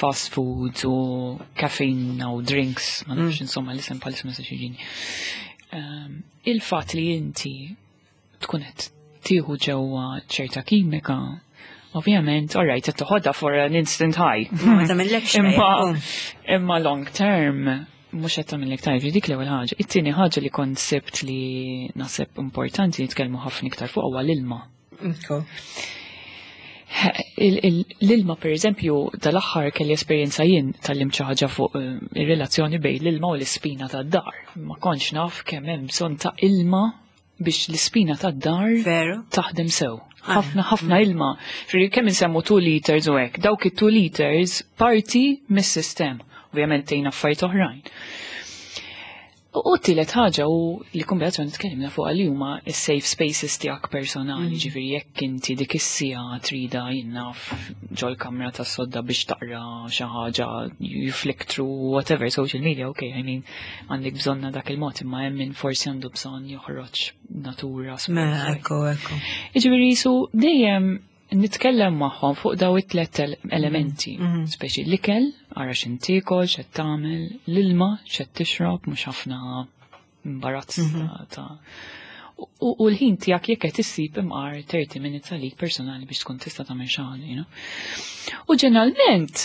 fast food u caffeine u drinks, ma nafx insomma l-isem bħalissa ma nistax jiġini. Il-fatt li inti tkun qed tieħu ġewwa ċerta kimika, ovvjament, all right, qed toħodha for an instant high. Ma tagħmillekx Imma tajjeb. Imma long term mhux qed tagħmillek tajjeb, dik l-ewwel ħaġa. It-tieni ħaġa li kont sibt li naħseb importanti nitkellmu ħafna iktar fuq huwa l-ilma. L-ilma, per eżempju, dal-aħħar kelli esperjenza jien, tgħallimt xi ħaġa fuq ir-relazzjoni bejn l-ilma u l-ispina tad-dar. Ma kontx naf kemm hemm bżonn ta' ilma biex l-ispina tad-dar taħdem sew. Ħafna, ħafna ilma. Ġifieri kemm insemmu 2 liters u hekk, dawk it-2 liters parti mis-sistema. Ovvjament tgħin affarijiet oħrajn. U t-tielet ħaġa u li kombinazzjoni tkellimna fuq li huma s-safe spaces tiegħek personali, ġifieri jekk inti dik is-siegħa trida jinnaf ġol-kamra tas-sodda biex taqra xi ħaġa, you flick through whatever social media, okay, I mean, għandek bżonna dak il-mod, imma hemm min forsi għandu bżonn joħroġ natura. Mela, ekku. Ġifieri su dejjem nitkellem magħhom fuq daw it-tlet elementi, speċi l-ikel, ara x'intiekol, x'qed tagħmel, l-ilma, x'qed tixrob, mhux ħafna imbarazz ta' u l-ħin tiegħek jekk qed issib imqar 30 minutes għalik personali biex tkun tista' tagħmel xi ħaġa, you know. U ġeneralment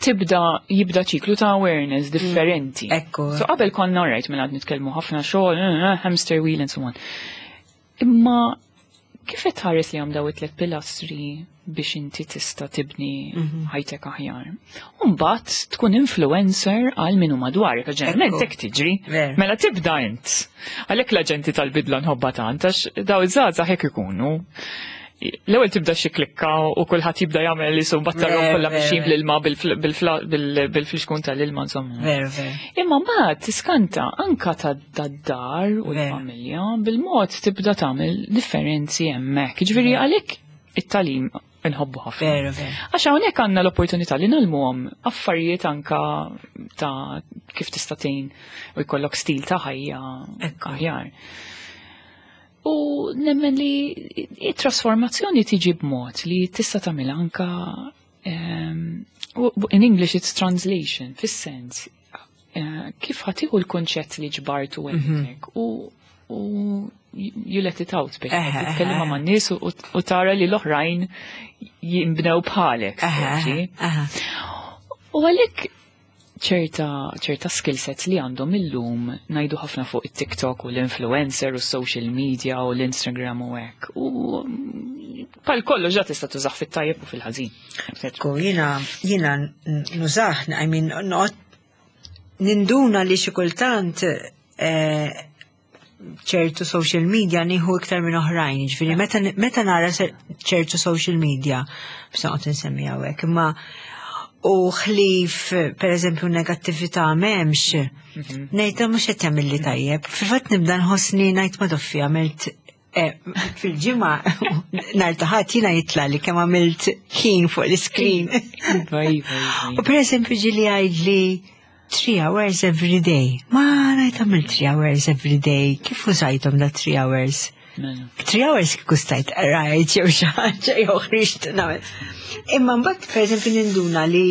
tibda jibda ċiklu ta' awareness differenti. So qabel konna right minn għad nitkellmu ħafna xogħol, hamster wheel and so on. Imma Kif qed tħares li daw it-tlet pilastri biex inti tista' tibni ħajtek aħjar? U mbagħad tkun influencer għal min hu madwarek, għax ġeneralment hekk tiġri. Mela tibda int. Għalhekk l-aġenti tal-bidla nħobbha tant għax daw iż-żgħażagħ hekk ikunu. L-ewwel tibda xi klikka u kulħadd jibda jagħmel isu battarhom kollha mixjin bl-ilma bil-flixkun tal-ilma insomma. Imma mbagħad tiskanta anka tad-dar u l-familja bil-mod tibda tagħmel differenzi hemmhekk. Jiġifieri għalhekk it-tagħlim inħobbu ħafna. Għax hawnhekk għandna l-opportunità li nagħlmuhom affarijiet anka ta' kif tista' tgħin u jkollok stil ta' ħajja aħjar. U nemmen li it-trasformazzjoni tiġi b'mod li tista' tagħmel anka in English it's translation, fis-sens kif ħa tieħu l-kunċett li ġbartu hemmhekk u you let it out biex titkellem ma' nies u tara li l-oħrajn jinbnew bħalek. U għalhekk ċerta ċerta skill sets li għandhom illum ngħidu ħafna fuq it-TikTok u l-influencer u s-social media u l-Instagram u hekk. U bħal kollox ġa tista' tużah fit-tajjeb u fil-ħażin. Ekku, jiena nużah, I mean, noqgħod ninduna li xi kultant ċertu social media nieħu iktar minn oħrajn, ġifieri meta nara ċertu social media, biex noqgħod insemmi hawnhekk, imma u ħlif per eżempju negattività m'hemmx, ngħid mhux qed jagħmilli tajjeb. Fil-fatt nibda nħossni ngħid ma doffi għamilt fil-ġimgħa nhar ta' Ħadd jiena jitla li kemm għamilt ħin fuq l-screen. U per eżempju ġieli għajdli 3 hours every day. Ma ngħid għamilt 3 hours every day. Kif użajthom da 3 hours? 3 hours kieku stajt rajt jew xi ħaġa jew ħriġt nagħmel. Imma mbagħad per eżempju ninduna li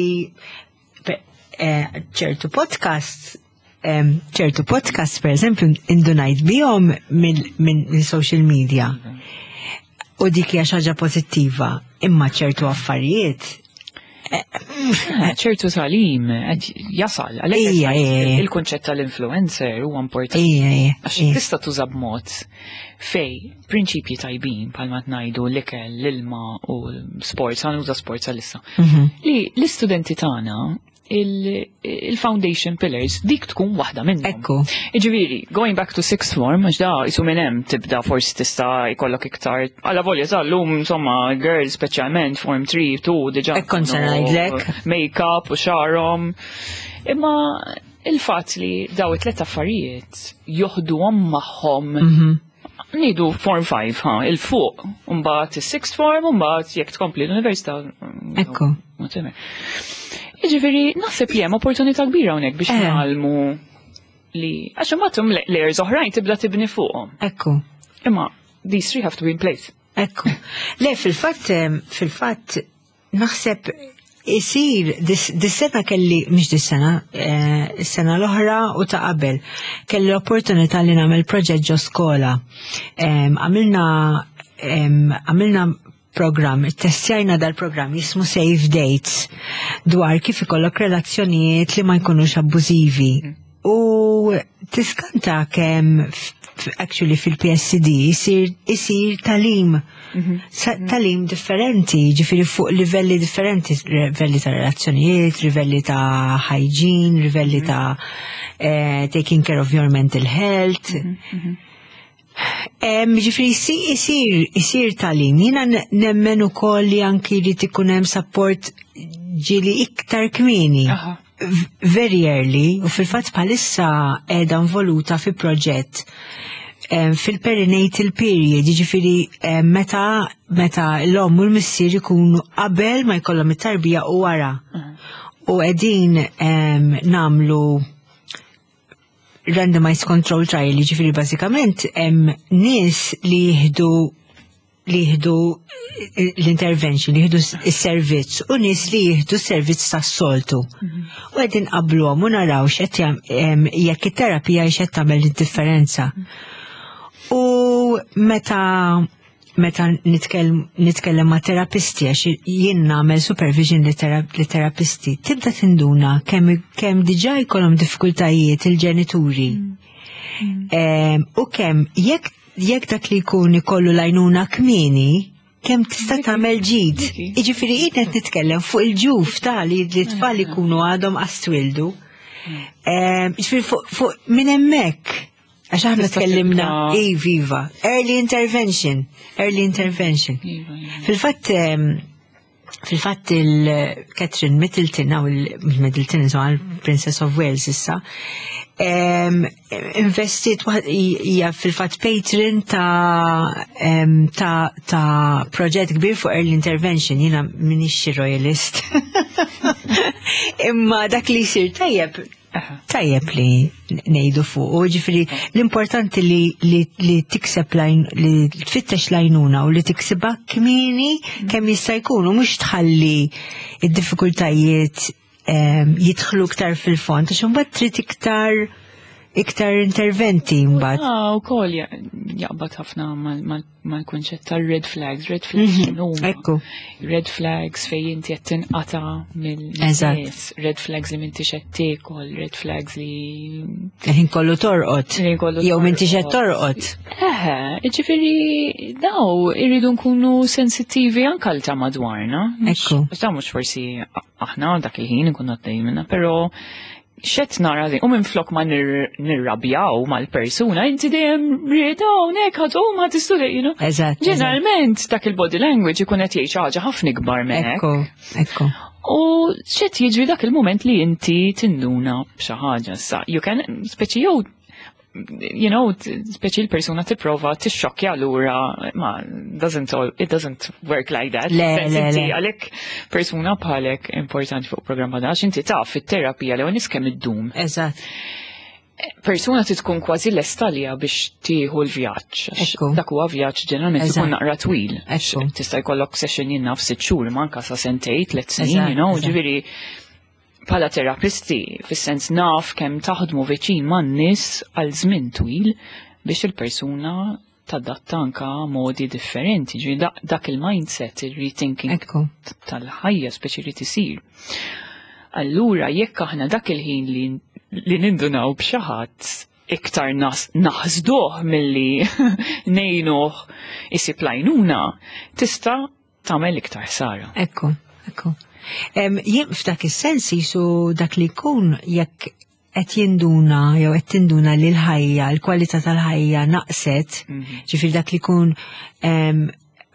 ċertu podcast per eżempju indunajt bihom minn social media. U dik hija xi ħaġa pożittiva, imma ċertu affarijiet ċertu tagħlim jasal, għalhekk il-kunċett tal-influencer huwa importanti. Għax tista' tuża b'mod fej prinċipji tajbin bħalma ngħidu l-ikel, l-ilma u sports, ħa nuża sports għalissa. Li l-istudenti tagħna il-foundation pillars dik tkun waħda minnhom. Ekku. Iġifieri, going back to sixth form, għax da jisu minn hemm tibda forsi tista' jkollok iktar. Alla volja sal-lum insomma girls speċjalment form 3, 2 diġà. Ekkon se ngħidlek. Make-up u xagħarhom. Imma il-fatt li daw it-tlet affarijiet joħduhom magħhom Ngħidu form 5, ha, il-fuq, mbagħad is-sixth form, mbagħad jekk tkompli l-università. Ekku. Whatever. Jiġifieri naħseb li hemm opportunità kbira hawnhekk biex ngħallmu li għax imbagħad layers oħrajn tibda tibni fuqhom. Ekku. Imma these three have to be in place. Ekku. Le, fil-fatt, naħseb isir, dis-sena kelli, mhux dis-sena, is-sena l-oħra u ta' qabel, kelli l-opportunità li nagħmel proġett ġo skola. Għamilna program, testjajna dal-program jismu Safe Dates dwar kif ikollok relazzjonijiet li ma jkunux abbużivi. U tiskanta kemm actually fil-PSCD isir tagħlim tagħlim differenti, ġifieri fuq livelli differenti, livelli ta' relazzjonijiet, livelli ta' hygiene, livelli ta' taking care of your mental health. Ġifieri isir tagħlim, jiena nemmen ukoll li anki li ikun hemm support ġieli iktar kmieni. Very early, u fil-fatt bħalissa qiegħda involuta fi proġett fil-perinatal period, ġifieri meta l-omm u l-missier ikunu qabel ma jkollhom it-tarbija u wara. U qegħdin nagħmlu randomized control trial, ġifieri bażikament hemm nies li jieħdu l-intervention, li jieħdu s-servizz u nies li jieħdu s-servizz tas-soltu. U qegħdin qabluhom u naraw x'qed jekk it-terapija x'qed tagħmel id-differenza. U meta nitkellem ma' terapisti, għax jien nagħmel supervision li terapisti, tibda tinduna kemm diġà jkollhom diffikultajiet il-ġenituri. U kemm jekk jekk dak li jkun ikollu l-għajnuna kmieni, kemm tista' tagħmel ġid. Jiġifieri jien qed nitkellem fuq il-ġuf ta' li t-tfal ikunu għadhom qas twildu. Jiġifieri fuq minn hemmhekk. Għax aħna Tista' tkellimna, tibda- iva, iva, early intervention, early intervention. Iva, iva. Fil-fatt, fil-fatt il-Catherine Middleton, għaw il-Middleton, insomma, il-Princess of Wales issa, investit waħd- hija fil-fatt patron ta' proġett kbir fuq early intervention, jiena m'iniex xi royalist. Imma dak li jsir tajjeb, tajjeb li ngħidu fuq, u ġifieri l-importanti li tikseb lajn, li tfittex lajnuna u li tiksibha kmieni kemm jista' jkun, u mhux tħalli id-diffikultajiet jidħlu iktar fil-fond, għax imbagħad trid iktar interventi mbagħad. Ah, u kol jaqbad ħafna mal-kunċett tal-red flags. Red flags x'inhuma? Ekku. Red flags fej inti qed tinqata' mill-nies, red flags li m'intix qed tiekol, red flags li Ħin kollu torqod. Ħin kollu Jew m'intix qed torqod. torqod. Eħe, ġifieri daw irridu nkunu sensittivi anke għal ta' madwarna. Ekku. Għax daw mhux forsi aħna dak il-ħin nkunu għaddejjin minna, però xet nara din, u minn flok ma nirrabjaw mal-persuna, inti dejjem rieda hawnhekk ħadd u ma tistudja, you know. Eżatt, eżatt. Ġeneralment dak il-body language ikun qed jgħid xi ħaġa ħafna ikbar minn hekk. Ekku, ekku. U xet jiġri dak il-moment li inti tinduna b'xi ħaġa sa. You can, speċi jew, you know, speċi l-persuna tipprova tixxokkja lura, ma doesn't all, it doesn't work like that. Le, Sens le, inti le. għalhekk persuna bħalek importanti fuq programma da, għax inti taf fit-terapija li nies kemm iddum. Persuna trid tkun kważi lesta għaliha biex tieħu l-vjaġġ. Għax Dak huwa vjaġġ ġeneralment ikun naqra twil. Għax tista' jkollok session jien naf 6 xhur, ma anke sa sentejn, 3 snin, you know, ġifieri bħala terapisti, fis-sens naf kemm taħdmu viċin man-nies għal żmien twil biex il-persuna tadatta anka modi differenti. Ġifieri dak il-mindset, il-rethinking tal-ħajja speċi li tisir. Allura jekk aħna dak il-ħin li nindunaw b'xi ħadd iktar naħsduh milli ngħinuh isib lajnuna, tista' tagħmel iktar ħsara. Ekku, ekku. Jien f'dak is-sens jisu dak li jkun jekk qed jinduna jew qed tinduna li l-ħajja, l-kwalità tal-ħajja naqset, ġifieri dak li jkun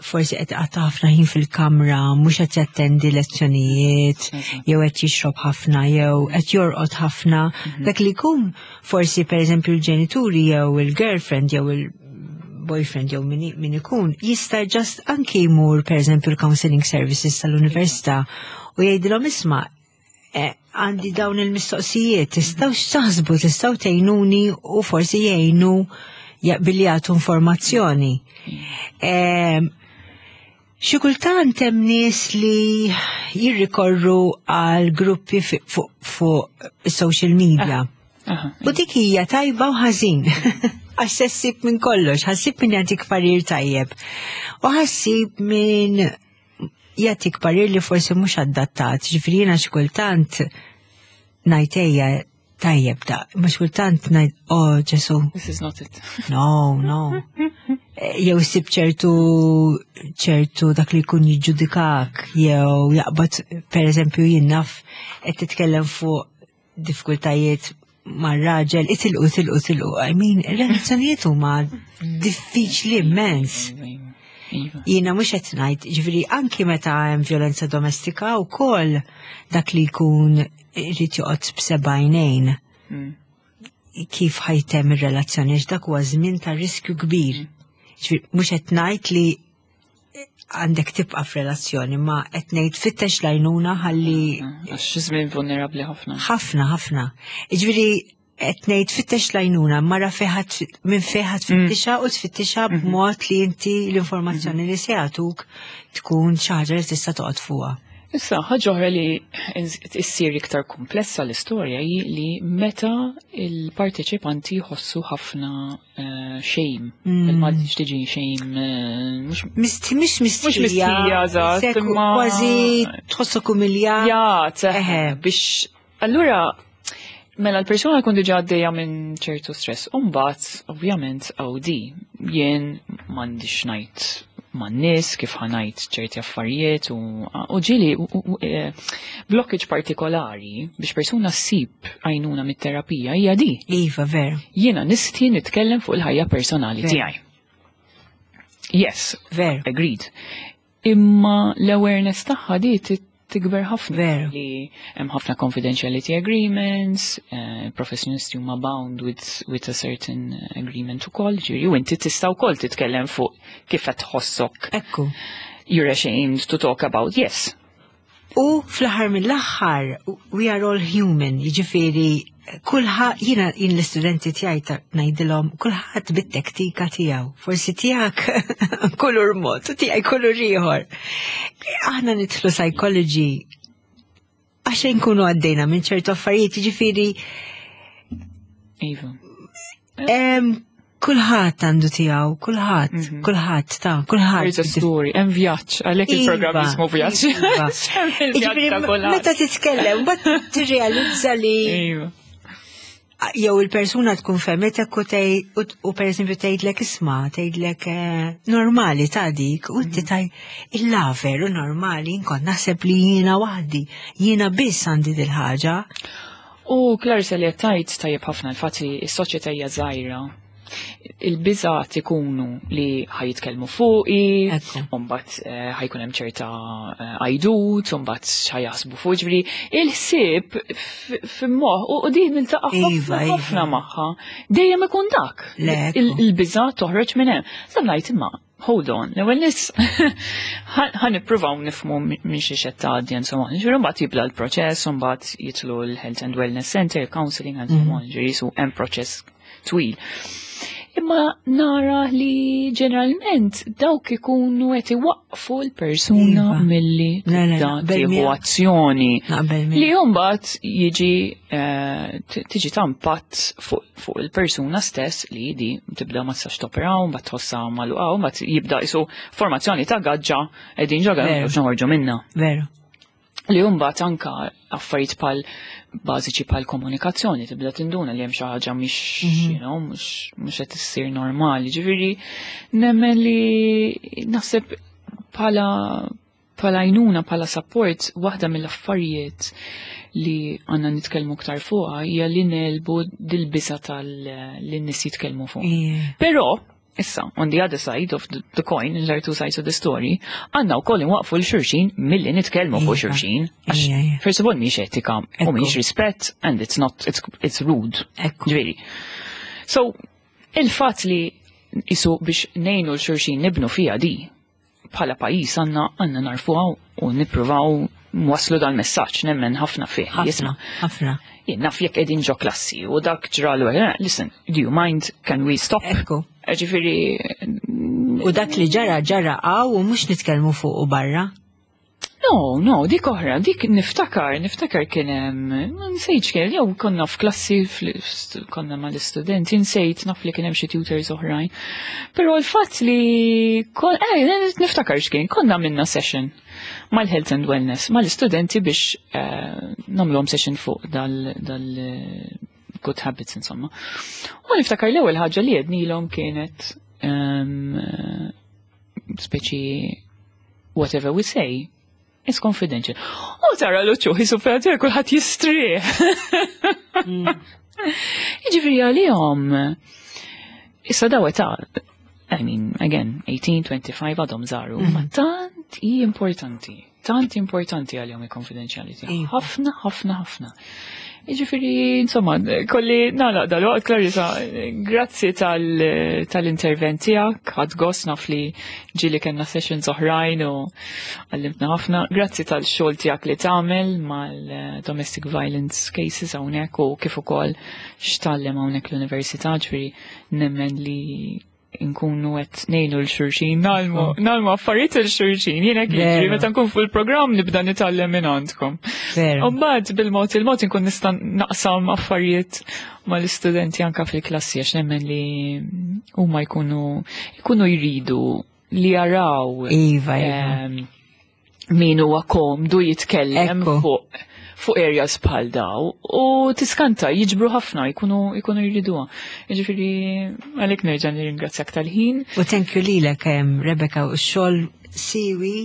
forsi qed qatta' ħafna ħin fil-kamra, mhux qed jattendi lezzjonijiet, jew qed jixrob ħafna, jew qed jorqod ħafna. Dak li jkun forsi pereżempju l-ġenituri jew il-girlfriend jew il-boyfriend jew min ikun jista' just anki jmur pereżempju l-counseling services tal-università u jgħidilhom isma' għandi dawn il-mistoqsijiet, tistgħu x'taħsbu, tistgħu tgħinuni u forsi jgħinu billi jagħtu informazzjoni. Xi kultant hemm nies li jirrikorru għal gruppi fuq social media. U dik hija tajba u ħażin. Għax se ssib minn kollox, ħassib minn jagħtik parir tajjeb. U ħassib minn jagħtik parir li forsi mhux adattat. Ġifieri jiena xi kultant ngħid ejja tajjeb da, ma xi kultant ngħid, oh Ġesu. This is not it. No, no. Jew ssib ċertu dak li jkun jiġġudikak, jew jaqbad, per eżempju, jien naf qed titkellem fuq diffikultajiet mar-raġel, itilqu, itilqu, itilqu. I mean, relazzjonijiet huma diffiċli immens. Jiena mhux qed ngħid, ġifieri anki meta hemm violenza domestika wkoll dak li jkun irid joqgħod b'seba' għajnejn. Kif ħajtem ir-relazzjoni, għax dak huwa żmien ta' riskju kbir. Ġifieri mhux qed ngħid li għandek tibqa' f'relazzjoni, ma qed ngħid fittex lajnuna ħalli Għax żmien vulnerabbli ħafna. Ħafna, ħafna. Ġifieri qed ngħid fittex lajnuna, mara fejħat minn fejħat tfittixa u tfittixa b'mod li inti l-informazzjoni li se jagħtuk tkun xi ħaġa li tista' toqgħod fuqha. Issa, ħaġa oħra li issir iktar komplessa l-istorja hi li meta il-parteċipanti jħossu ħafna shame. Il-Malti x'tiġi shame mhux Mhux mistħija. Mhux mistħija, eżatt, Sekku imma kważi tħossok umiljat. Ja, biex allura Mela l-persuna jkun diġà għaddejja minn ċertu stress. U mbagħad, ovvjament, OD, jien m'għandix ngħid man-nies kif ħa ngħid ċerti affarijiet u ġieli blockage partikolari biex persuna ssib għajnuna mit-terapija hija di. Iva, veru. Jiena nistħi nitkellem fuq il-ħajja personali tiegħi. Yes, Veru. Agreed. Imma l-awareness tagħha di tikber ħafna. Veru. Li hemm ħafna confidentiality agreements, professjonisti huma bound with a certain agreement ukoll, ġifieri u inti tista' wkoll titkellem fuq kif qed tħossok. Ekku. You're ashamed to talk about, yes. U fl-aħħar mill-aħħar, we are all human, jiġifieri kulħadd, jiena jien l-istudenti tiegħi ta' ngħidilhom kulħadd bit-tektika tiegħu. Forsi tiegħek kulur mod, u tiegħi kulur ieħor. Aħna nidħlu psychology għax nkunu għaddejna minn ċertu affarijiet, jiġifieri Iva. Kulħadd għandu tiegħu, kulħadd, kulħadd ta' kulħadd. There's a story, hemm vjaġġ, għalhekk il-programm jismu vjaġġ. Iva. Hemm il-vjaġġ Jiġifieri ta' kulħadd. meta titkellem, mbagħad tirrealizza li jew il-persuna tkun fehmetek u tgħid u pereżempju tgħidlek isma', tgħidlek normali ta' dik, u inti tgħid illa veru normali, inkont naħseb li jiena waħdi, jiena biss għandi dil-ħaġa. U Clarissa li qed tgħid tajjeb ħafna l-fatt li s-soċjetà hija żgħira. Il-biżgħat ikunu li ħajitkellmu fuqi, u mbagħad ħajkun hemm ċerta għajdut, u mbagħad x'ħajaħsbu fuq, ġifieri il-ħsieb f'moħħ u din niltaqa' ħafna ħafna magħha dejjem ikun dak. Il-biżgħat toħroġ minn hemm. Sa ngħid imma, hold on, l-ewwel nies ħa nippruvaw nifhmu minn xi xed tgħaddi and so on. Ġifieri mbagħad jibda l-proċess, u mbagħad jidħlu l-Health and Wellness Center, counseling and so on, ġifieri su hemm proċess twil. Imma nara li ġeneralment dawk ikunu qed iwaqqfu l-persuna milli Le, le, tibda naqbel tieħu miegħek. azzjoni. Naqbel miegħek. Li mbagħad tiġi ta' impatt fuq il-persuna stess li di tibda ma tistax topera, u mbagħad tħossha magħluqa, u mbagħad jibda isu formazzjoni ta' gaġġa qegħdin ġo gaġġa biex noħorġu minnha. Li mbagħad anka affarijiet bħal bażiċi bħal komunikazzjoni tibda tinduna li hemm xi ħaġa mhix, mhux qed issir normali. Ġifieri nemmen li naħseb bħala għajnuna, bħala support, waħda mill-affarijiet li għandna nitkellmu aktar fuqha hija li nelbu dil-biża tal li n-nies jitkellmu fuq. Però issa, on the other side of the coin, there are two sides of the story, għandna wkoll inwaqfu l-xulxin milli nitkellmu fuq xulxin. Għax, first of all, mhix etika u mhix rispett, and it's not, it's rude. Ġifieri. So, il-fatt li isu biex ngħinu l-xulxin nibnu fija di, bħala pajjiż għandna narfuha u nippruvaw nwaslu dal-messaġġ, nemmen ħafna fih. Ħafna, Jisma'. ħafna. Jien naf jekk qegħdin ġo klassi u dak ġralu, listen, do you mind, can we stop? Ġifieri, U dak li ġara, ġara għaw u mhux nitkellmu fuq u barra. No, no, dik oħra, dik niftakar kien hemm, ma nsejtx kien, jew konna f'klassi, konna mal-istudenti, nsejt naf li kien hemm xi tutors oħrajn. Però l-fatt li niftakar x'kien, konna minna session mal-Health and Wellness, mal-istudenti biex nagħmluhom session fuq dal good habits, insomma. U niftakar l-ewwel ħaġa li għednilhom kienet speċi whatever we say, it's confidential. U tara l-uċuħ jisu fejn kulħadd jistrieħ. Jiġifieri għalihom, issa daw età, I mean, again, 18, 25 għadhom żaru, ma tant hi importanti, tant importanti għalihom il-confidentiality. Ħafna, ħafna, ħafna. Jiġifieri, insomma, kolli nagħlaq dal-waqt, Clarissa, grazzi tal-intervent tiegħek, ħadt gost naf li ġieli kellna sessions oħrajn u għallimtna ħafna. Grazzi tal-xogħol tiegħek li tagħmel mal-domestic violence cases hawnhekk u kif ukoll x'tgħallem hawnhekk l-università, ġifieri nemmen li nkunu qed ngħinu l xulxin, nagħmlu affarijiet il xulxin. Jiena kif jiġri, meta nkun fuq il-programm nibda nitgħallem minn għandkom. U mbagħad bil-mod il-mod inkun nista' naqsam affarijiet mal-istudenti anka fil-klassi għax nemmen li huma jkunu jridu li jaraw, Iva. min huwa komdu jitkellem fuq fuq areas bħal daw u tiskanta jiġbru ħafna jkunu jkunu jriduha. Jiġifieri għalhekk nerġa' nirringrazzjak tal-ħin. U thank you lilek Rebecca u x-xogħol siwi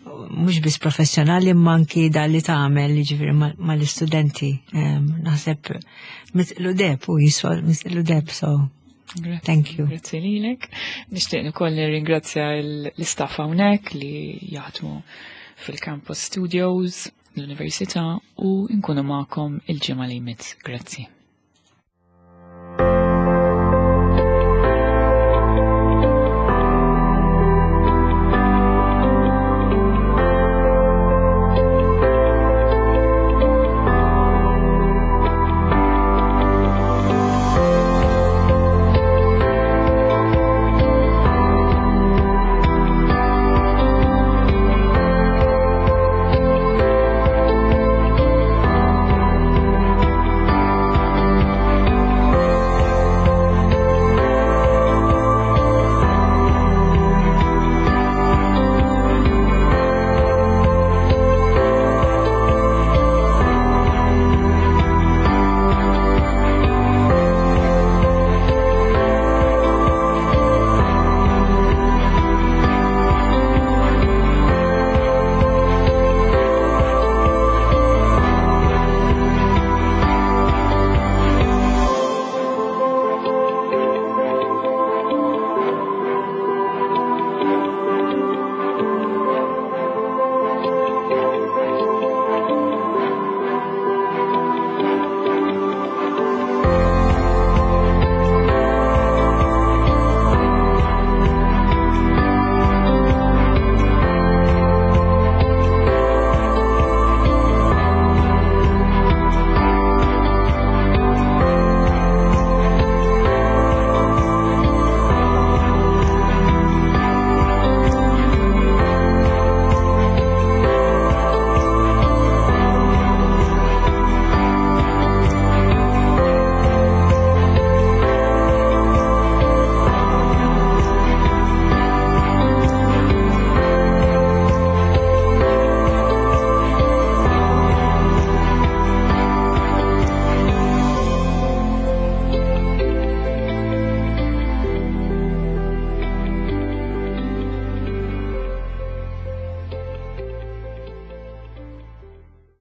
mhux biss professjonali imma anki dan li tagħmel jiġifieri mal-istudenti. Naħseb mitqlu deb u jiswa mitqlu deb so Thank you. Grazzi lilek. Nixtieq ukoll nirringrazzja l-istaff hawnhekk li jaħdmu fil-Campus Studios, l-Università u nkunu magħkom il-ġimgħa li jmiss. Grazzi.